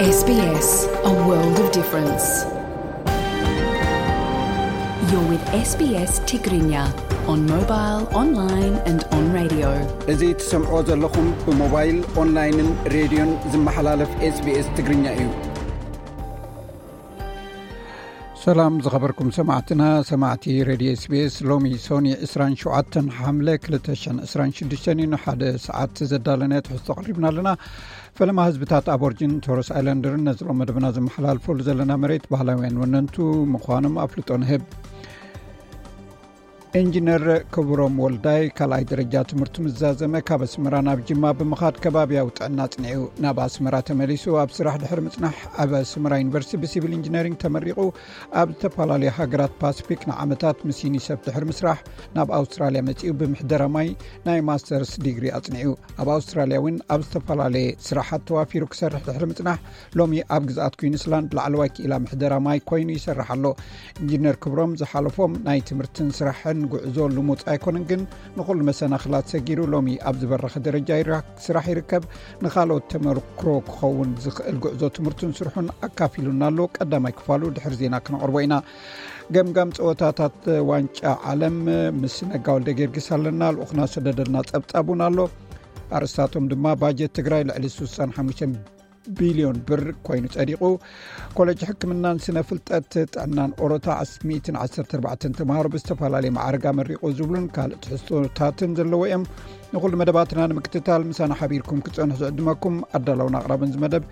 S B S, a world of difference. You're with S B S Tigrinya on mobile, online and on radio. እዚ ትሰምዕዎ ዘለኹም ብሞባይል፣ ኦንላይንን ሬድዮን ዝመሓላለፍ S B S ትግርኛ እዩ። ሰላም ዝኸበርኩም ሰማዕትና፣ ሰማዕቲ ሬድዮ S B S፣ ሎሚ ሶኒ ዕስራን ሸውዓተን ሓምለ ክልተ ሽሕን ዕስራን ሽዱሽተን እዩ። ንሓደ ሰዓት ዘዳለናዮ ትሕዝቶ ኣቕሪብና ኣለና። ፈለማ ህዝብታት ኣቦርጅን ቶረስ ኣይላንደርን ነዚ ሎም መደብና ዝመሓላልፈሉ ዘለና መሬት ባህላውያን ወነንቱ ምዃኖም ኣፍልጦ ንህብ። ኢንጂነር ክብሮም ወልዳይ ካልኣይ ደረጃ ትምህርቱ ምስ ዛዘመ ካብ ኣስመራ ናብ ጅማ ብምኻድ ከባብያዊ ጥዕና ኣጽኒዑ ናብ ኣስመራ ተመሊሱ። ኣብ ስራሕ ድሕሪ ምጽናሕ ኣብ ኣስመራ ዩኒቨርሲቲ ብሲቪል ኢንጂነሪንግ ተመሪቑ ኣብ ዝተፈላለዩ ሃገራት ፓስፊክ ንዓመታት ምስ ዩኒሰፍ ድሕሪ ምስራሕ ናብ ኣውስትራልያ መጺኡ ብምሕደራ ማይ ናይ ማስተርስ ዲግሪ ኣጽኒዑ። ኣብ ኣውስትራልያ እውን ኣብ ዝተፈላለየ ስራሓት ተዋፊሩ ክሰርሕ ድሕሪ ምጽናሕ ሎሚ ኣብ ግዝኣት ኩዊንስላንድ ላዕለዋይ ክኢላ ምሕደራ ማይ ኮይኑ ይሰርሕ ኣሎ። ኢንጂነር ክብሮም ዝሓለፎም ናይ ትምህርትን ስራሕን ጉዕዞ ልሙጽ ኣይኮነን፣ ግን ንኹሉ መሰናኽላት ሰጊሩ ሎሚ ኣብ ዝበረኸ ደረጃ ይራ-፣ ስራሕ ይርከብ። ንኻልኦት ተመክሮ ክኸውን ዝኽእል ጉዕዞ ትምህርቱን ስርሑን ኣካፊሉና ኣሎ። ቀዳማይ ክፋሉ ድሕሪ ዜና ክነቕርቦ ኢና። ገምጋም ጸወታታት ዋንጫ ዓለም ምስ ነጋ ወልደ ጊዮርጊስ ኣለና። ልኡኽና ሰደደልና ጸብጻብ እውን ኣሎ። ኣርእስታቶም ድማ ባጀት ትግራይ ልዕሊ ስሳን ሓሙሽተን ቢልዮን ብር ኮይኑ ጸዲቑ። ኮሌጅ ሕክምናን ስነ ፍልጠት ጥዕናን ኦሮታ ሚእትን ዓሰርተ ኣርባዕተን ተምሃሮ ብዝተፈላለየ ማዕረግ ኣመሪቑ ዝብሉን ካልእ ትሕዝቶታትን ዘለዎ እዮም። ንኹሉ መደባትና ንምክትታል ምሳና ሓቢርኩም ክትጸንሑ ዝዕድመኩም ኣዳላውን ኣቕራብን ዝመደብ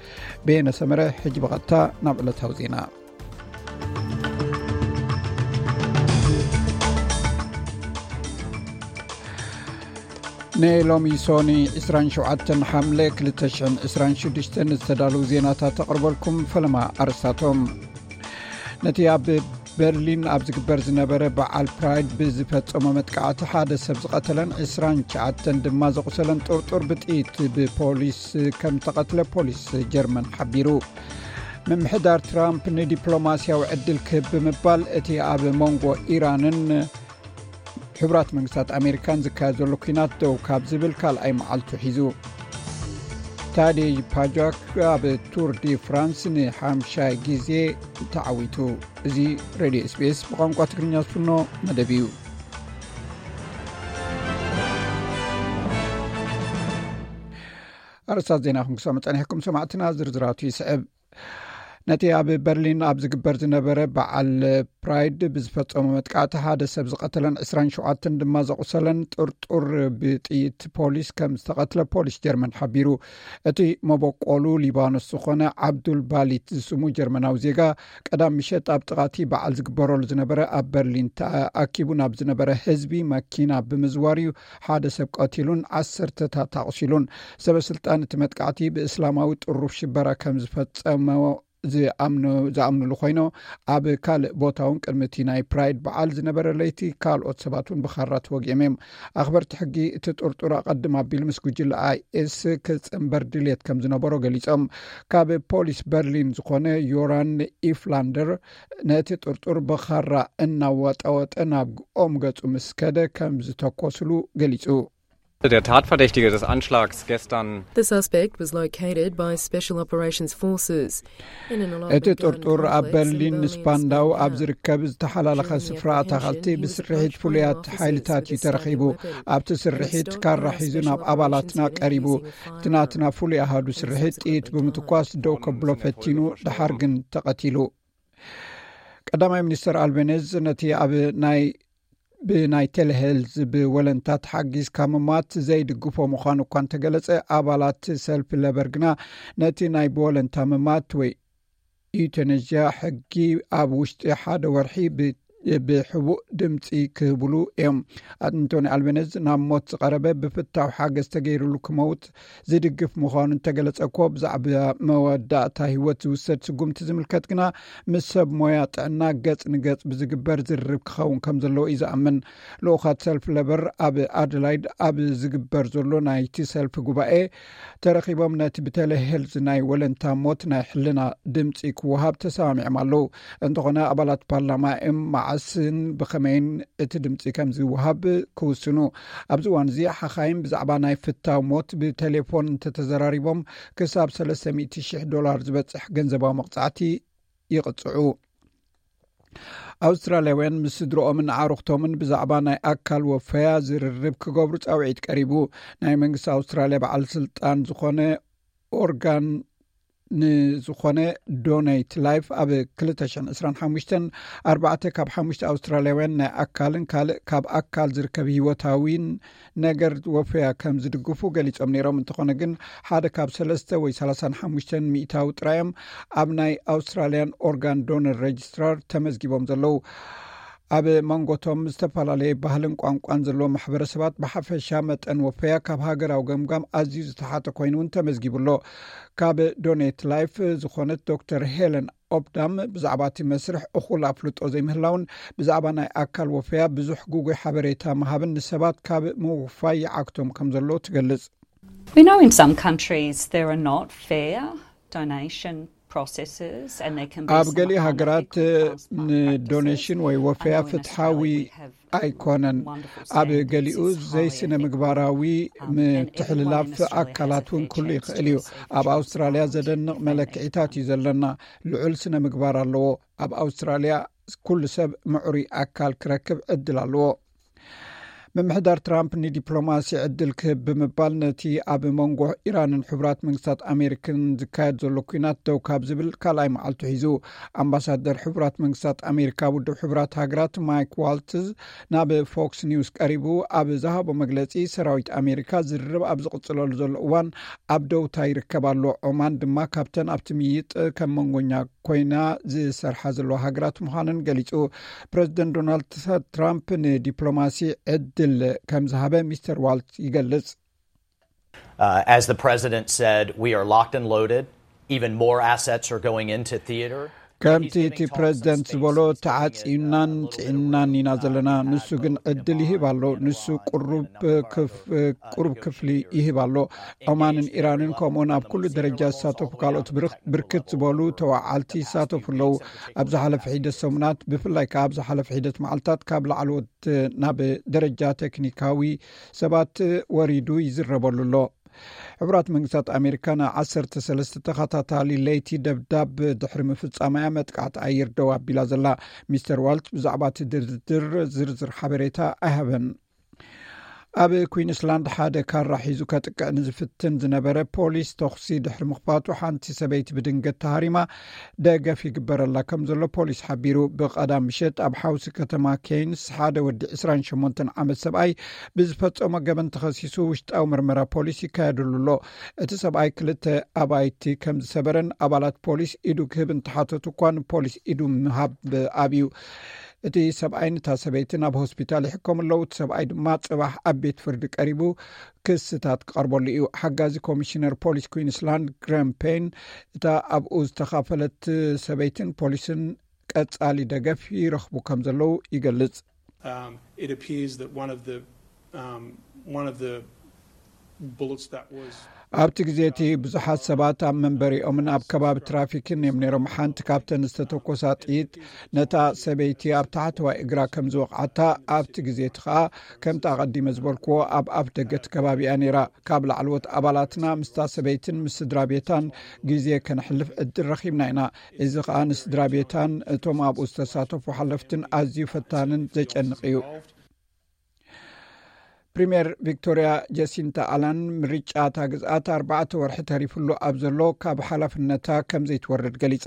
በየነ ሰመረ። ሕጂ ብቐጥታ ናብ ዕለታዊ ዜና። ንሎሚ ሶኒ ዕስራን ሸውዓተን ሓምለ ክልተ ሽሕን ዕስራን ሽዱሽተን ዝተዳለዉ ዜናታት ተቕርበልኩም። ፈለማ ኣርስታቶም። ነቲ ኣብ በርሊን ኣብ ዝግበር ዝነበረ በዓል ፕራይድ ብዝፈጸሞ መጥቃዕቲ ሓደ ሰብ ዝቐተለን ዕስራን ትሽዓተን ድማ ዘቑሰለን ጥርጡር ብጥይት ብፖሊስ ከም ተቐትለ ፖሊስ ጀርመን ሓቢሩ። ምምሕዳር ትራምፕ ንዲፕሎማስያዊ ዕድል ክህብ ብምባል እቲ ኣብ መንጎ ኢራንን ሕቡራት መንግስታት ኣሜሪካን ዝካየድ ዘሎ ኲናት ደው ካብ ዝብል ካልኣይ መዓልቱ ሒዙ። ታዴ ፓጃክ ኣብ ቱር ዲ ፍራንስ ንሓምሻይ ግዜ ተዓዊቱ። እዚ ሬድዮ S B S ብቋንቋ ትግርኛ ዝፍኖ መደብ እዩ። ኣርእስታት ዜና ክንክሰሙ ጸኒሕኩም ሰማዕትና፣ ዝርዝራቱ ይስዕብ። ነቲ ኣብ በርሊን ኣብ ዝግበር ዝነበረ በዓል ፕራይድ ብዝፈጸሞ መጥቃዕቲ ሓደ ሰብ ዝቐተለን ዕስራን ሸውዓተን ድማ ዘቑሰለን ጥርጡር ብጥይት ፖሊስ ከም ዝተቐትለ ፖሊስ ጀርመን ሓቢሩ። እቲ መበቆሉ ሊባኖስ ዝኾነ ዓብዱል ባሊት ዝስሙ ጀርመናዊ ዜጋ ቀዳም ምሸት ኣብ ጥቓቲ በዓል ዝግበረሉ ዝነበረ ኣብ በርሊን ተኣኪቡ ናብ ዝነበረ ህዝቢ መኪና ብምዝዋር እዩ ሓደ ሰብ ቀቲሉን ዓሰርተታት ኣቑሲሉን። ሰበ ስልጣን እቲ መጥቃዕቲ ብእስላማዊ ጥሩፍ ሽበራ ከም ዝፈጸሞ ዝኣምኑ-፣ ዝኣምኑሉ ኮይኖ፣ ኣብ ካልእ ቦታ እውን ቅድሚ እቲ ናይ ፕራይድ በዓል ዝነበረ ለይቲ ካልኦት ሰባት እውን ብኻራ ተወጊኦም እዮም። ኣኽበርቲ ሕጊ እቲ ጥርጡር ኣቐድም ኣቢሉ ምስ ጉጅለ I S ክጽንበር ድልየት ከም ዝነበሮ ገሊጾም። ካብ ፖሊስ በርሊን ዝኾነ ዮራን ኢፍላንደር ነቲ ጥርጡር ብኻራ እናወጠወጠ ናብ ኦም ገጹ ምስ ከደ ከም ዝተኮስሉ ገሊጹ። Der Tatverdächtige des Anschlags gestern. The suspect was located by Special Operations Forces. In an እቲ Olympic Garden ጥርጡር ኣብ complex in በርሊን Berlin, ንስፓንዳው ኣብ Spandau. ዝርከብ ዝተሓላለኸ ስፍራ ኣታኸልቲ ብስርሒት ፍሉያት ሓይልታት እዩ ተረኺቡ። ኣብቲ ስርሒት ካራ ሒዙ ናብ ኣባላትና ቀሪቡ። እቲ ናትና ፍሉይ ኣሃዱ ስርሒት ጥይት ብምትኳስ ደው ከብሎ ፈቲኑ፣ ደሓር ግን ተቐቲሉ። ቀዳማይ ሚኒስተር ኣልቤነዝ ነቲ ኣብ ናይ ብናይ ቴሌሄልዝ ብወለንታ ተሓጊዝካ ምማት ዘይድግፎ ምዃኑ እኳ እንተገለጸ፣ ኣባላት ሰልፊ ለበር ግና ነቲ ናይ ብወለንታ ምማት ወይ ዩተነዥያ ሕጊ ኣብ ውሽጢ ሓደ ወርሒ ብ-፣ ብሕቡእ ድምፂ ክህብሉ እዮም። ኣንቶኒ ኣልቤነዝ ናብ ሞት ዝቐረበ ብፍታው ሓገዝ ተገይሩሉ ክመውት ዝድግፍ ምዃኑ እንተገለጸ እኮ፣ ብዛዕባ መወዳእታ ህይወት ዝውሰድ ስጉምቲ ዝምልከት ግና ምስ ሰብ ሞያ ጥዕና ገጽ ንገጽ ብዝግበር ዝርርብ ክኸውን ከም ዘለዎ እዩ ዝኣምን። ልኡኻት ሰልፍ ለበር ኣብ ኣደላይድ ኣብ ዝግበር ዘሎ ናይቲ ሰልፊ ጉባኤ ተረኺቦም ነቲ ብቴሌሄልዝ ናይ ወለንታ ሞት ናይ ሕልና ድምጺ ክወሃብ ተሰማሚዖም ኣለዉ። እንተኾነ ኣባላት ፓርላማ እዮም መዓስ ስን ብኸመይን እቲ ድምፂ ከም ዝወሃብ ክውስኑ። ኣብዚ እዋን እዚ ሓኻይም ብዛዕባ ናይ ፍታው ሞት ብቴሌፎን እንተተዘራሪቦም ክሳብ ሰለስተ ሚእቲ ሽሕ ዶላር ዝበፅሕ ገንዘባዊ መቕፃዕቲ ይቕፅዑ። ኣውስትራልያውያን ምስ ስድሮኦምን ኣዕሩኽቶምን ብዛዕባ ናይ ኣካል ወፈያ ዝርርብ ክገብሩ ፃውዒት ቀሪቡ። ናይ መንግስቲ ኣውስትራልያ በዓል ስልጣን ዝኾነ ኦርጋን ንዝኾነ ዶኔት ላይፍ ኣብ ክልተ ሽሕን ዕስራን ሓሙሽተን ኣርባዕተ ካብ ሓሙሽተ ኣውስትራልያውያን ናይ ኣካልን ካልእ ካብ ኣካል ዝርከብ ህይወታዊን ነገር ወፈያ ከም ዝድግፉ ገሊጾም ነይሮም። እንተኾነ ግን ሓደ ካብ ሰለስተ ወይ ሰላሳን ሓሙሽተን ሚእታዊ ጥራዮም ኣብ ናይ ኣውስትራልያን ኦርጋን ዶነር ሬጅስትራር ተመዝጊቦም ዘለዉ። ኣብ መንጎቶም ዝተፈላለየ ባህልን ቋንቋን ዘለዎ ማሕበረሰባት ብሓፈሻ መጠን ወፈያ ካብ ሃገራዊ ገምጋም ኣዝዩ ዝተሓተ ኮይኑ እውን ተመዝጊቡ ኣሎ። ካብ ዶኔት ላይፍ ዝኾነት ዶክተር ሄለን ኦብዳም ብዛዕባ እቲ መስርሕ እኹል ኣፍልጦ ዘይምህላውን ብዛዕባ ናይ ኣካል ወፈያ ብዙሕ ግጉይ ሓበሬታ ምሃብን ንሰባት ካብ ምውፋይ ይዓግቶም ከም ዘሎ ትገልጽ። We know in some countries there are not fair donation processes and there can be ኣብ some ገሊኡ ሃገራት unethical ንዶኔሽን ወይ ወፈያ ፍትሓዊ ኣይኮነን። ኣብ ገሊኡ ዘይስነ ምግባራዊ ምትሕልላፍ ኣካላት እውን ክህሉ ይኽእል እዩ። ኣብ ኣውስትራልያ ዘደንቕ መለክዒታት እዩ ዘለና። ልዑል ስነ ምግባር ኣለዎ። ኣብ ኣውስትራልያ ኩሉ ሰብ ምዕሩይ ኣካል ክረክብ ዕድል ኣለዎ። ምምሕዳር ትራምፕ ንዲፕሎማሲ ዕድል ክህብ ብምባል ነቲ ኣብ መንጎ ኢራንን ሕቡራት መንግስታት ኣሜሪካን ዝካየድ ዘሎ ኩናት ደው ካብ ዝብል ካልኣይ መዓልቱ ሒዙ። ኣምባሳደር ሕቡራት መንግስታት ኣሜሪካ ውድብ ሕቡራት ሃገራት ማይክ ዋልትዝ ናብ ፎክስ ኒውስ ቀሪቡ ኣብ ዝሃቦ መግለጺ ሰራዊት ኣሜሪካ ዝርርብ ኣብ ዝቕጽለሉ ዘሎ እዋን ኣብ ደውታ ይርከብ ኣሎ። ዖማን ድማ ካብተን ኣብቲ ምይጥ ከም መንጎኛ ኮይና ዝሰርሓ ዘለዋ ሃገራት ምዃነን ገሊጹ። ፕረዚደንት ዶናልድ ትራምፕ ንዲፕሎማሲ ዕድል ከም ዝሃበ ሚስተር ዋልት ይገልጽ። Uh, as the president said, we are locked and loaded. Even more assets are going into theater. ከምቲ እቲ ፕረዚደንት ዝበሎ ተዓፂናን ፅዒናን ኢና ዘለና። ንሱ ግን ዕድል ይህብ ኣሎ። ንሱ ቁሩብ ክፍሊ ይህብ ኣሎ። ዖማንን ኢራንን ከምኡውን ኣብ ኩሉ ደረጃ ዝሳተፉ ካልኦት ብርክት ዝበሉ ተዋዓልቲ ይሳተፉ ኣለዉ። ኣብ ዝሓለፈ ሒደት ሰሙናት ብፍላይ ከዓ ኣብ ዝሓለፈ ሒደት መዓልታት ካብ ላዕለዎት ናብ ደረጃ ቴክኒካዊ ሰባት ወሪዱ ይዝረበሉ ኣሎ። ሕቡራት መንግስታት ኣሜሪካ ንዓሰርተ ሰለስተ ተኸታታሊ ለይቲ ደብዳብ ድሕሪ ምፍጻማያ መጥቃዕቲ ኣየር ደው ኣቢላ ዘላ። ሚስተር ዋልት ብዛዕባ እቲ ድርድር ዝርዝር ሓበሬታ ኣይሃበን። ኣብ ኩዊንስላንድ ሓደ ካራ ሒዙ ከጥቅዕ ንዝፍትን ዝነበረ ፖሊስ ተኹሲ ድሕሪ ምኽፋቱ ሓንቲ ሰበይቲ ብድንገት ተሃሪማ ደገፍ ይግበረላ ከም ዘሎ ፖሊስ ሓቢሩ። ብቐዳም ምሸት ኣብ ሓውሲ ከተማ ኬንስ ሓደ ወዲ ዕስራን ሸሞንተን ዓመት ሰብኣይ ብዝፈጸሞ ገበን ተኸሲሱ ውሽጣዊ ምርመራ ፖሊስ ይካየደሉ ኣሎ። እቲ ሰብኣይ ክልተ ኣባይቲ ከም ዝሰበረን ኣባላት ፖሊስ ኢዱ ክህብ እንተሓተቱ እኳ ንፖሊስ ኢዱ ምሃብ ኣብዩ። እቲ ሰብኣይ ንታ ሰበይቲ ናብ ሆስፒታል ይሕከሙ ኣለዉ። እቲ ሰብኣይ ድማ ጽባሕ ኣብ ቤት ፍርዲ ቀሪቡ ክስታት ክቐርበሉ እዩ። ሓጋዚ ኮሚሽነር ፖሊስ ኩዊንስላንድ ግረም ፔን እታ ኣብኡ ዝተኻፈለት ሰበይትን ፖሊስን ቀጻሊ ደገፍ ይረኽቡ ከም ዘለዉ ይገልጽ። Um, it appears that one of the um, one of the bullets that was ኣብቲ ግዜ እቲ ብዙሓት ሰባት ኣብ መንበሪኦምን ኣብ ከባቢ ትራፊክን እዮም ነይሮም። ሓንቲ ካብተን ዝተተኮሳ ጥይት ነታ ሰበይቲ ኣብ ታሕተዋይ እግራ ከም ዝወቕዓታ፣ ኣብቲ ግዜ እቲ ኸኣ ከምቲ ኣቐዲመ ዝበልክዎ ኣብ ኣፍ ደገ እቲ ከባቢ እያ ነይራ። ካብ ላዕለዎት ኣባላትና ምስታ ሰበይትን ምስ ስድራ ቤታን ግዜ ከነሕልፍ ዕድል ረኺብና ኢና። እዚ ኸኣ ንስድራ ቤታን እቶም ኣብኡ ዝተሳተፉ ሓለፍትን ኣዝዩ ፈታንን ዘጨንቕ እዩ። ፕሪምየር ቪክቶርያ ጀሲንታ ኣላን ምርጫ እታ ግዝኣት ኣርባዕተ ወርሒ ተሪፍሉ ኣብ ዘሎ ካብ ሓላፍነታ ከም ዘይትወርድ ገሊጻ።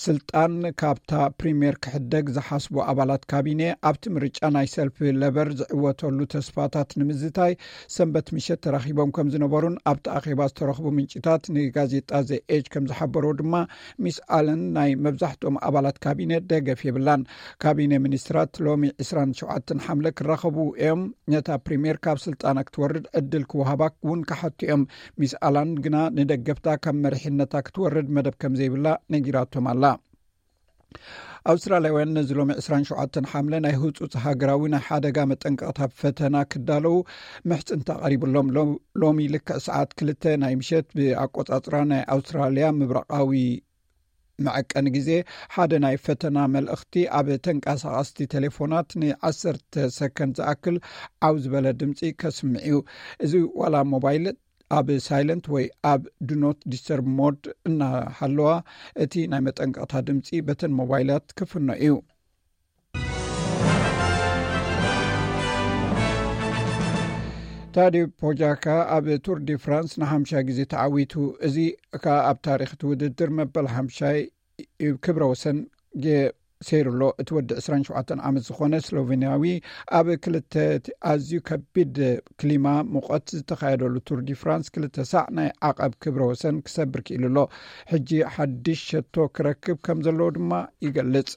ስልጣን ካብታ ፕሪምየር ክሕደግ ዝሓስቡ ኣባላት ካቢነ ኣብቲ ምርጫ ናይ ሰልፊ ለበር ዝዕወተሉ ተስፋታት ንምዝታይ ሰንበት ምሸት ተራኺቦም ከም ዝነበሩን ኣብቲ ኣኼባ ዝተረኽቡ ምንጭታት ንጋዜጣ ዘ ኤጅ ከም ዝሓበርዎ ድማ ሚስ ኣለን ናይ መብዛሕትኦም ኣባላት ካቢነ ደገፍ የብላን። ካቢነ ሚኒስትራት ሎሚ ዕስራን ሸውዓተን ሓምለ ክራኸቡ እዮም። ነታ ፕሪምየር ካብ ስልጣና ክትወርድ ዕድል ክወሃባ እውን ክሓቱ እዮም። ሚስ ኣላን ግና ንደገፍታ ካብ መሪሕነታ ክትወርድ መደብ ከም ዘይብላ ነጊራቶም ኣላ። ኣውስትራልያውያን ነዚ ሎሚ ዕስራን ሸውዓተን ሓምለ ናይ ህጹጽ ሃገራዊ ናይ ሓደጋ መጠንቀቕታ ፈተና ክዳለዉ ምሕጽንታ ቀሪብሎም። ሎ- ሎሚ ልክዕ ሰዓት ክልተ ናይ ምሸት ብኣቆጻጽራ ናይ ኣውስትራልያ ምብራቓዊ መዐቀኒ ግዜ ሓደ ናይ ፈተና መልእኽቲ ኣብ ተንቀሳቐስቲ ቴሌፎናት ንዓሰርተ ሰከንድ ዝኣክል ዓው ዝበለ ድምፂ ከስምዕ እዩ። እዚ ዋላ ሞባይል ኣብ ሳይለንት ወይ ኣብ ዱኖት ዲስተርብ ሞድ እናሃለዋ፣ እቲ ናይ መጠንቀቕታ ድምፂ በተን ሞባይላት ክፍኖ እዩ። ታዲዮ ፖጃካ ኣብ ቱር ዲ ፍራንስ ንሓምሻይ ግዜ ተዓዊቱ። እዚ ከኣ ኣብ ታሪኽ እቲ ውድድር መበል ሓምሻይ ክብረ ወሰን ገ- ሰይሩ ኣሎ። እቲ ወዲ ዕስራን ሸውዓተን ዓመት ዝኾነ ስሎቬንያዊ ኣብ ክልተ ኣዝዩ ከቢድ ክሊማ ሙቐት ዝተኻየደሉ ቱር ዲ ፍራንስ ክልተ ሳዕ ናይ ዓቐብ ክብረ ወሰን ክሰብር ክኢሉ ኣሎ። ሕጂ ሓድሽ ሸቶ ክረክብ ከም ዘለዎ ድማ ይገልጽ።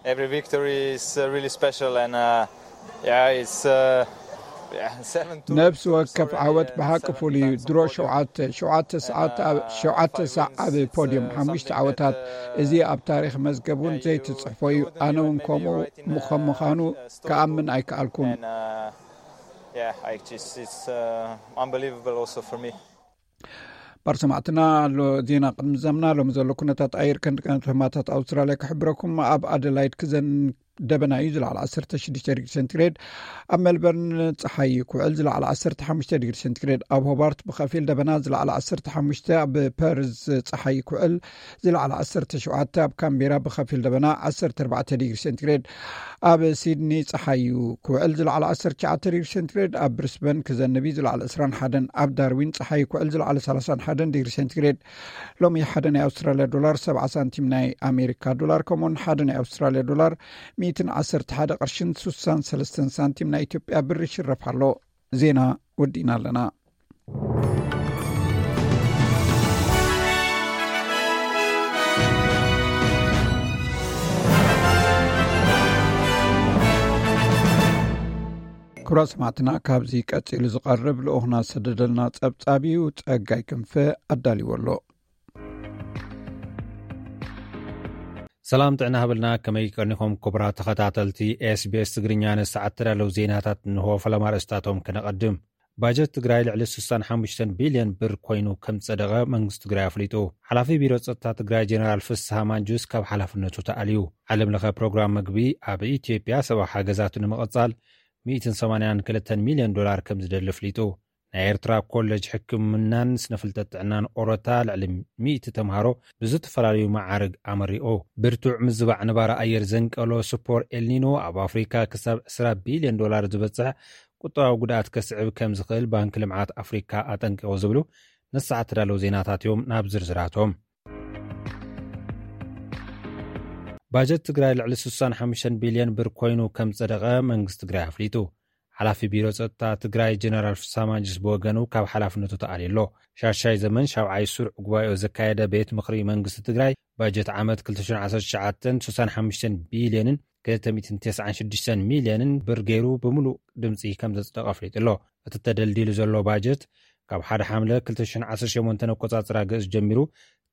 Every victory is uh, really special, and uh, yeah, it's uh, yeah, seven two. ነብሲ ወከፍ ዓወት ብሓቂ ፍሉይ እዩ። ድሮ ሸውዓተ ሸውዓተ ሰዓት ኣብ ሸውዓተ ሳዕ ኣብ ፖዲየም ሓሙሽተ ዓወታት፣ እዚ ኣብ ታሪኽ መዝገብ እውን ዘይትጽሕፎ እዩ። ኣነ እውን ከምኡ ከም ምዃኑ ክኣምን ኣይከኣልኩን። And uh, yeah, I just it's uh, unbelievable also for me. ባር ሰማዕትና ኣሎ ዜና ቅድሚ ዘምና ሎሚ ዘሎ ኩነታት ኣየር ከንዲ ቀንዲ ህማታት ኣውስትራልያ ክሕብረኩም። ኣብ ኣደላይድ ክዘን ደበና እዩ ዝለዓል ዓሰርተ ሽዱሽተ ዲግሪ ሴንቲግሬድ፣ ኣብ ሜልበርን ፀሓይ ክውዕል ዝለዓል ዓሰርተ ሓሙሽተ ዲግሪ ሴንቲግሬድ፣ ኣብ ሆባርት ብኸፊል ደበና ዝለዓል ዓሰርተ ሓሙሽተ፣ ኣብ ፐርዝ ፀሓይ ክውዕል ዝለዓል ዓሰርተ ሸውዓተ፣ ኣብ ካምቤራ ብኸፊል ደበና ዓሰርተ ኣርባዕተ ዲግሪ ሴንቲግሬድ፣ ኣብ ሲድኒ ፀሓይ ክውዕል ዝለዓል ዓሰርተ ትሽዓተ ዲግሪ ሴንቲግሬድ፣ ኣብ ብሪስበን ክዘንብ እዩ ዝለዓል ዕስራን ሓደን፣ ኣብ ዳርዊን ፀሓይ ክውዕል ዝለዓል ሰላሳን ሓደን ዲግሪ ሴንቲግሬድ። ሎሚ ሓደ ናይ ኣውስትራልያ ዶላር ሰብዓ ሳንቲም ናይ ኣሜሪካ ዶላር፣ ከምኡውን ሓደ ናይ ኣውስትራልያ ዶላር ሚእትን ዓሰርተ ሓደ ቅርሽን ስሳን ሰለስተን ሳንቲም ናይ ኢትዮጵያ ብር ይሽረፍ ኣሎ። ዜና ወዲእና ኣለና። ክቡራት ሰማዕትና፣ ካብዚ ቀጺሉ ዝቐርብ ልኡኽና ዝሰደደልና ጸብጻብ እዩ። ጸጋይ ክንፈ ኣዳልዎ ኣሎ። ሰላም ጥዕና ሃበልና። ከመይ ቀኒኹም ክቡራት ተኸታተልቲ SBS ትግርኛ? ንሰዓት ተዳለዉ ዜናታት እንሆ። ፈለማ ርእስታቶም ከነቐድም። ባጀት ትግራይ ልዕሊ ስሳን ሓሙሽተን ቢልዮን ብር ኮይኑ ከም ዝጸደቐ መንግስቲ ትግራይ ኣፍሊጡ። ሓላፊ ቢሮ ጸጥታ ትግራይ ጀነራል ፍስሃ ማንጁስ ካብ ሓላፍነቱ ተኣልዩ። ዓለም ለኸ ፕሮግራም መግቢ ኣብ ኢትዮጵያ ሰብኣዊ ሓገዛቱ ንምቕጻል ሚእትን ሰማንያን ክልተን ሚልዮን ዶላር ከም ዝደሊ ኣፍሊጡ። ናይ ኤርትራ ኮለጅ ሕክምናን ስነፍልጠት ጥዕናን ኦሮታ ልዕሊ ሚእቲ ተምሃሮ ብዝተፈላለዩ መዓርግ ኣመሪቑ። ብርቱዕ ምዝባዕ ንባር ኣየር ዘንቀሎ ስፖር ኤልኒኖ ኣብ ኣፍሪካ ክሳብ ዕስራ ቢልዮን ዶላር ዝበጽሕ ቁጠባዊ ጉድኣት ከስዕብ ከም ዝኽእል ባንኪ ልምዓት ኣፍሪካ ኣጠንቂቑ ዝብሉ ንሰዓት ተዳለዉ ዜናታት እዮም። ናብ ዝርዝራቶም። ባጀት ትግራይ ልዕሊ ስሳን ሓሙሽተን ቢልዮን ብር ኮይኑ ከም ዝጸደቐ መንግስቲ ትግራይ ኣፍሊጡ። ሓላፊ ቢሮ ጸጥታ ትግራይ ጀነራል ፍስሃ ማንጁስ ብወገኑ ካብ ሓላፍነቱ ተኣልዩ ኣሎ። ሻሻይ ዘመን ሻብዓይ ስሩዕ ጉባኤኡ ዘካየደ ቤት ምኽሪ መንግስቲ ትግራይ ባጀት ዓመት ክልተ ሽሕን ዓሰርተ ትሽዓተን ስሳን ሓሙሽተን ቢልዮንን ክልተ ሚእትን ተስዓን ሽዱሽተን ሚልዮንን ብር ገይሩ ብምሉእ ድምፂ ከም ዘጽደቐ ኣፍሊጡ ኣሎ። እቲ ተደልዲሉ ዘሎ ባጀት ካብ ሓደ ሓምለ ክልተ ሽሕን ዓሰርተ ሸሞንተን ኣቆጻጽራ ግእዝ ጀሚሩ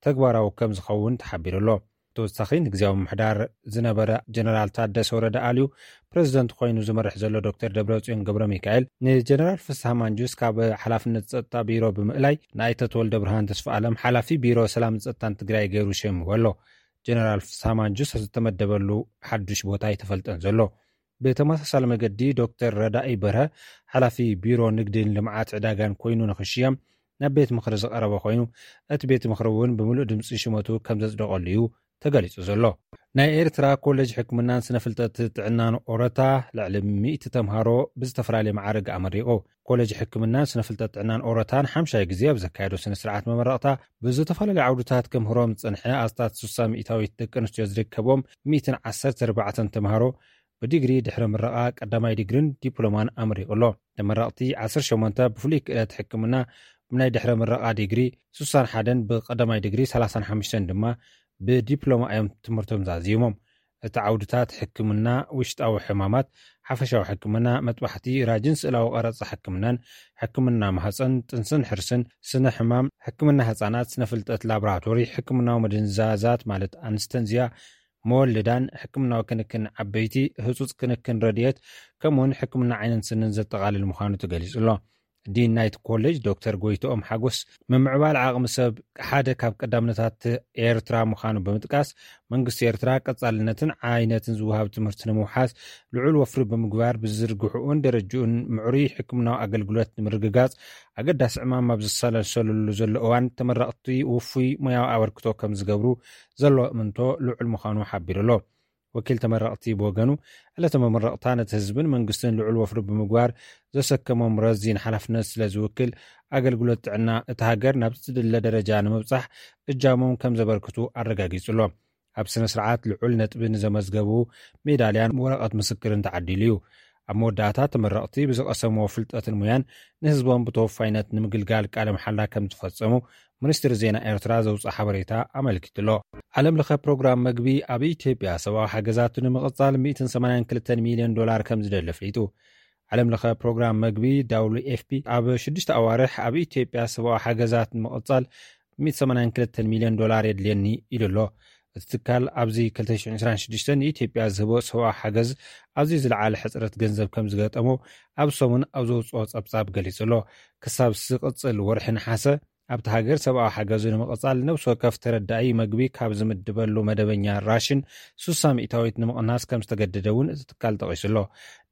ተግባራዊ ከም ዝኸውን ተሓቢሩ ኣሎ። ተወሳኺ ንግዜያዊ ምምሕዳር ዝነበረ ጀነራል ታደሰ ወረደ ኣልዩ ፕረዚደንት ኮይኑ ዝመርሕ ዘሎ ዶክተር ደብረጽዮን ገብረ ሚካኤል ንጀነራል ፍስሃ ማንጁስ ካብ ሓላፍነት ጸጥታ ቢሮ ብምእላይ ንኣይተ ተወልደ ብርሃን ተስፋ ኣለም ሓላፊ ቢሮ ሰላም ጸጥታን ትግራይ ገይሩ ሸይምዎ ኣሎ። ጀነራል ፍስሃ ማንጁስ ዝተመደበሉ ሓዱሽ ቦታ ኣይተፈልጠን ዘሎ። ብተመሳሳሊ መገዲ ዶክተር ረዳኢ በርሀ ሓላፊ ቢሮ ንግድን ልምዓት ዕዳጋን ኮይኑ ንክሽየም ናብ ቤት ምኽሪ ዝቐረበ ኮይኑ እቲ ቤት ምኽሪ እውን ብምሉእ ድምፂ ሽመቱ ከም ዘጽደቐሉ እዩ ተገሊጹ ዘሎ። ናይ ኤርትራ ኮሌጅ ሕክምናን ስነፍልጠት ጥዕናን ኦረታ ልዕሊ ሚእቲ ተምሃሮ ብዝተፈላለየ መዓርግ ኣመሪቑ። ኮሌጅ ሕክምናን ስነፍልጠት ጥዕናን ኦረታን ሓምሻይ ግዜ ኣብ ዘካየዶ ስነ ስርዓት መመረቕታ ብዝተፈላለዩ ዓውድታት ከምህሮም ዝጸንሐ ኣስታት ስሳ ሚእታዊት ደቂ ኣንስትዮ ዝርከቦም ሚእትን ዓሰርተ ኣርባዕተን ተምሃሮ ብዲግሪ ድሕረ ምረቓ ቀዳማይ ዲግሪን ዲፕሎማን ኣመሪቑ ኣሎ። ተመረቕቲ ዓሰርተ ሸሞንተ ብፍሉይ ክእለት ሕክምና ብናይ ድሕረ ምረቓ ዲግሪ፣ ስሳን ሓደን ብቐዳማይ ዲግሪ፣ ሰላሳን ሓሙሽተን ድማ ብዲፕሎማ እዮም ትምህርቶም ዛዚሞም። እቲ ዓውድታት ሕክምና ውሽጣዊ ሕማማት፣ ሓፈሻዊ ሕክምና፣ መጥባሕቲ፣ ራጅን ስእላዊ ቀረጻ ሕክምናን፣ ሕክምና ማህጸን፣ ጥንስን ሕርስን፣ ስነ ሕማም፣ ሕክምና ህጻናት፣ ስነ ፍልጠት ላቦራቶሪ፣ ሕክምናዊ መደንዛዛት ማለት ኣንስተንዝያ፣ መወልዳን፣ ሕክምናዊ ክንክን ዓበይቲ፣ ህጹጽ ክንክን ረድኤት፣ ከምኡውን ሕክምና ዓይንን ስንን ዘጠቓልል ምዃኑ ተገሊጹ ኣሎ። ዲን ናይቲ ኮሌጅ ዶክተር ጎይትኦም ሓጎስ፣ ምምዕባል ዓቕሚ ሰብ ሓደ ካብ ቀዳምነታት ኤርትራ ምዃኑ ብምጥቃስ፣ መንግስቲ ኤርትራ ቀጻልነትን ዓይነትን ዝወሃብ ትምህርቲ ንምውሓስ ልዑል ወፍሪ ብምግባር፣ ብዝርግሕኡን ደረጅኡን ምዕሩይ ሕክምናዊ ኣገልግሎት ንምርግጋጽ ኣገዳሲ ዕማም ኣብ ዝሰላሰለሉ ዘሎ እዋን፣ ተመረቕቲ ውፉይ ሞያዊ ኣበርክቶ ከም ዝገብሩ ዘሎ እምንቶ ልዑል ምዃኑ ሓቢሩ ኣሎ። ወኪል ተመረቕቲ ብወገኑ፣ ዕለተ መመረቕታ ነቲ ህዝብን መንግስትን ልዑል ወፍሪ ብምግባር ዘሰከሞም ረዚን ሓላፍነት ስለ ዝውክል፣ ኣገልግሎት ጥዕና እታ ሃገር ናብ ዝድለ ደረጃ ንምብጻሕ እጃሞም ከም ዘበርክቱ ኣረጋጊጹ ኣሎ። ኣብ ስነ ስርዓት ልዑል ነጥቢ ንዘመዝገቡ ሜዳልያን ወረቐት ምስክርን ተዓዲሉ እዩ። ኣብ መወዳእታ፣ ተመረቕቲ ብዝቐሰምዎ ፍልጠትን ሙያን ንህዝቦም ብተወፋይነት ንምግልጋል ቃለ መሓላ ከም ዝፈጸሙ ሚኒስትሪ ዜና ኤርትራ ዘውፅኦ ሓበሬታ ኣመልኪቱ ኣሎ። ዓለም ለኸ ፕሮግራም መግቢ ኣብ ኢትዮጵያ ሰብኣዊ ሓገዛቱ ንምቕጻል ሚእትን ሰማንያን ክልተን ሚልዮን ዶላር ከም ዝደሊ ኣፍሊጡ። ዓለም ለኸ ፕሮግራም መግቢ፣ ዳብሊው ኤፍ ፒ፣ ኣብ ሽዱሽተ ኣዋርሕ ኣብ ኢትዮጵያ ሰብኣዊ ሓገዛት ንምቕጻል ሚእትን ሰማንያን ክልተን ሚልዮን ዶላር የድልየኒ ኢሉ ኣሎ። እቲ ትካል ኣብዚ ክልተ ሽሕን ዕስራን ሽዱሽተን ንኢትዮጵያ ዝህቦ ሰብኣዊ ሓገዝ ኣዝዩ ዝለዓለ ሕጽረት ገንዘብ ከም ዝገጠሞ ኣብ ሰሙን ኣብ ዘውጽኦ ጸብጻብ ገሊጹ ኣሎ። ክሳብ ዝቕጽል ወርሒ ነሓሰ ኣብቲ ሃገር ሰብኣዊ ሓገዙ ንምቕጻል ነብሲ ወከፍ ተረዳኢ መግቢ ካብ ዝምድበሉ መደበኛ ራሽን ሱሳ ሚእታዊት ንምቕናስ ከም ዝተገደደ እውን እቲ ትካል ጠቒሱ ኣሎ።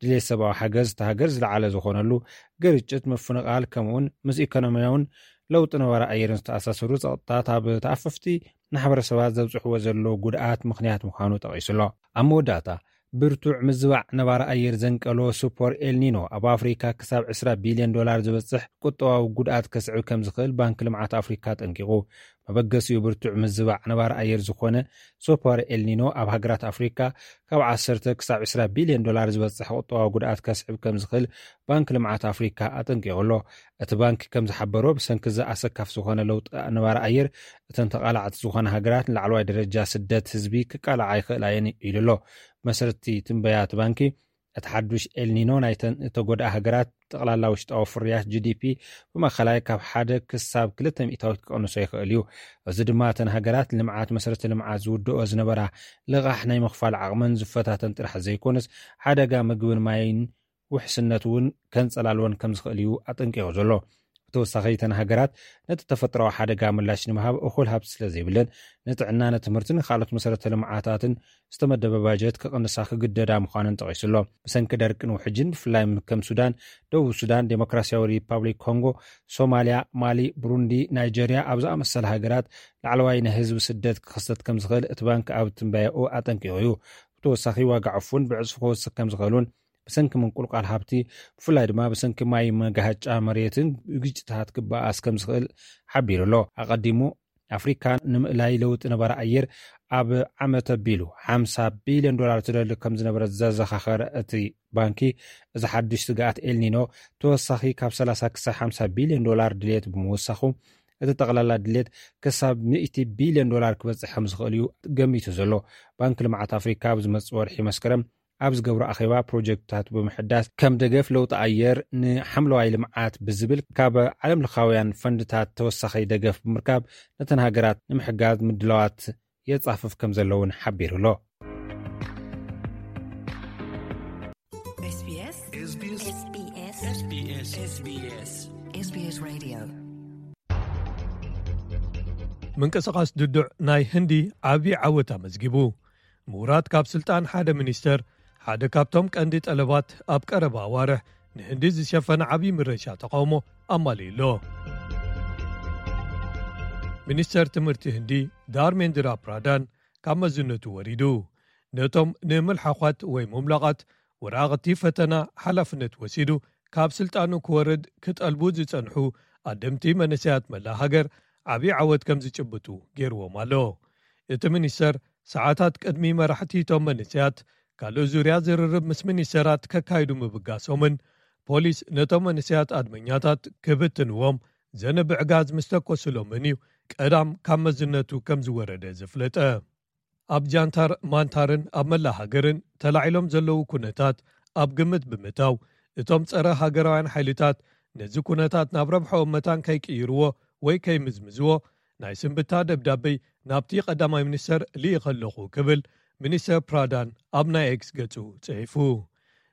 ድሌት ሰብኣዊ ሓገዝ እታ ሃገር ዝለዓለ ዝኾነሉ ግርጭት፣ ምፍንቓል፣ ከምኡውን ምስ ኢኮኖሚያውን ለውጢ ነባሪ ኣየርን ዝተኣሳሰሩ ጸቕጥታት ኣብ ተኣፈፍቲ ማሕበረሰባት ዘብጽሕዎ ዘለዉ ጉድኣት ምኽንያት ምዃኑ ጠቒሱ ኣሎ። ኣብ መወዳእታ፣ ብርቱዕ ምዝባዕ ነባሪ ኣየር ዘንቀሎ ሱፐር ኤልኒኖ ኣብ ኣፍሪካ ክሳብ ዕስራ ቢልዮን ዶላር ዝበጽሕ ቁጠባዊ ጉድኣት ከስዕብ ከም ዝኽእል ባንኪ ልምዓት ኣፍሪካ ኣጠንቂቑ። መበገሲኡ ብርቱዕ ምዝባዕ ነባሪ ኣየር ዝኾነ ሱፐር ኤልኒኖ ኣብ ሃገራት ኣፍሪካ ካብ ዓሰርተ ክሳብ ዕስራ ቢልዮን ዶላር ዝበጽሕ ቁጠባዊ ጉድኣት ከስዕብ ከም ዝኽእል ባንኪ ልምዓት ኣፍሪካ ኣጠንቂቑ ኣሎ። እቲ ባንኪ ከም ዝሓበሮ፣ ብሰንኪ እዚ ኣሰካፊ ዝኾነ ለውጢ ነባሪ ኣየር፣ እተን ተቓላዕቲ ዝኾና ሃገራት ንላዕለዋይ ደረጃ ስደት ህዝቢ ክቃልዓ ይኽእላ እየን ኢሉ ኣሎ። መሰረቲ ትንበያ እቲ ባንኪ፣ እቲ ሓዱሽ ኤልኒኖ ናይተን እተጎድኣ ሃገራት ጠቕላላ ውሽጣዊ ፍርያት፣ ጂ ዲ ፒ፣ ብማእኸላይ ካብ ሓደ ክሳብ ክልተ ሚእታዊት ክቐንሶ ይኽእል እዩ። እዚ ድማ እተን ሃገራት ልምዓት መሰረተ ልምዓት ዝውድኦ ዝነበራ ልቓሕ ናይ ምኽፋል ዓቕመን ዝፈታተን ጥራሕ ዘይኮነስ፣ ሓደጋ ምግብን ማይን ውሕስነት እውን ከንጸላልወን ከም ዝኽእል እዩ ኣጠንቂቑ ዘሎ። ብተወሳኺ፣ እተን ሃገራት ነቲ ተፈጥሮኣዊ ሓደጋ ምላሽ ንምሃብ እኹል ሃብቲ ስለ ዘይብለን፣ ንጥዕና፣ ንትምህርትን ንኻልኦት መሰረተ ልምዓታትን ዝተመደበ ባጀት ክቕንሳ ክግደዳ ምዃነን ጠቒሱ ኣሎ። ብሰንኪ ደርቅን ውሕጅን፣ ብፍላይ ከም ሱዳን፣ ደቡብ ሱዳን፣ ዴሞክራሲያዊ ሪፓብሊክ ኮንጎ፣ ሶማልያ፣ ማሊ፣ ብሩንዲ፣ ናይጀርያ ኣብ ዝኣመሰላ ሃገራት ላዕለዋይ ናይ ህዝቢ ስደት ክኽሰት ከም ዝኽእል እቲ ባንክ ኣብ ትንበያኡ ኣጠንቂቑ እዩ። ብተወሳኺ፣ ዋጋ ዕፉን ብዕጽፊ ክወስኽ ከም ዝኽእልን ብሰንኪ ምንቁልቋል ሃብቲ፣ ብፍላይ ድማ ብሰንኪ ማይ መጋሃጫ መሬትን ግጭታት ክበኣስ ከም ዝኽእል ሓቢሩ ኣሎ። ኣቐዲሙ፣ ኣፍሪካ ንምእላይ ለውጢ ነባሪ ኣየር ኣብ ዓመት ኣቢሉ ሓምሳ ቢልዮን ዶላር ትደሊ ከም ዝነበረ ዘዘኻኸረ እቲ ባንኪ፣ እዚ ሓዱሽ ስግኣት ኤልኒኖ ተወሳኺ ካብ ሰላሳ ክሳብ ሓምሳ ቢልዮን ዶላር ድልየት ብምውሳኹ፣ እቲ ጠቕላላ ድልየት ክሳብ ሚእቲ ቢልዮን ዶላር ክበጽሕ ከም ዝኽእል እዩ ገሚቱ ዘሎ። ባንኪ ልምዓት ኣፍሪካ ኣብ ዝመጽእ ወርሒ መስከረም ኣብ ዝገብሮ ኣኼባ፣ ፕሮጀክትታት ብምሕዳስ፣ ከም ደገፍ ለውጢ ኣየር ንሓምለዋይ ልምዓት ብዝብል ካብ ዓለም ለኻውያን ፈንድታት ተወሳኺ ደገፍ ብምርካብ፣ ነተን ሃገራት ንምሕጋዝ ምድላዋት የጻፍፍ ከም ዘሎ እውን ሓቢሩ ኣሎ። S B S. S B S. S B S. S B S. S B S. S B S Radio. ምንቅስቓስ ድዱዕ ናይ ህንዲ ዓቢ ዓወት ኣመዝጊቡ። ምውራድ ካብ ስልጣን ሓደ ሚኒስተር ሓደ ካብቶም ቀንዲ ጠለባት ኣብ ቀረባ ኣዋርሕ ንህንዲ ዝሸፈነ ዓቢ ምረሻ ተቓውሞ ኣማሊኡ ኣሎ። ሚኒስተር ትምህርቲ ህንዲ ዳርሜንድራ ፕራዳን ካብ መዝነቱ ወሪዱ። ነቶም ንምልሓዃት ወይ ሙምላቓት ወረቓቕቲ ፈተና ሓላፍነት ወሲዱ ካብ ስልጣኑ ክወርድ ክጠልቡ ዝጸንሑ ኣደምቲ መንእሰያት መላእ ሃገር ዓቢ ዓወት ከም ዝጭብጡ ገይርዎም ኣሎ። እቲ ሚኒስተር ሰዓታት ቅድሚ መራሕቲ እቶም መንእሰያት ካልእ ዙርያ ዝርርብ ምስ ሚኒስተራት ከካይዱ ምብጋሶምን ፖሊስ ነቶም መንእሰያት ኣድመኛታት ክብትንዎም ዘንብዕ ጋዝ ምስ ተኮሱሎምን እዩ ቀዳም ካብ መዝነቱ ከም ዝወረደ ዘፍለጠ። ኣብ ጃንታር ማንታርን ኣብ መላእ ሃገርን ተላዒሎም ዘለዉ ኩነታት ኣብ ግምት ብምእታው፣ እቶም ጸረ ሃገራውያን ሓይልታት ነዚ ኩነታት ናብ ረብሓኦም መታን ከይቅይርዎ ወይ ከይምዝምዝዎ ናይ ስንብታ ደብዳበይ ናብቲ ቀዳማይ ሚኒስተር ልኢኸ ኣለኹ ክብል ሚኒስተር ፕራዳን ኣብ ናይ ኤክስ ገጹ ጽሒፉ።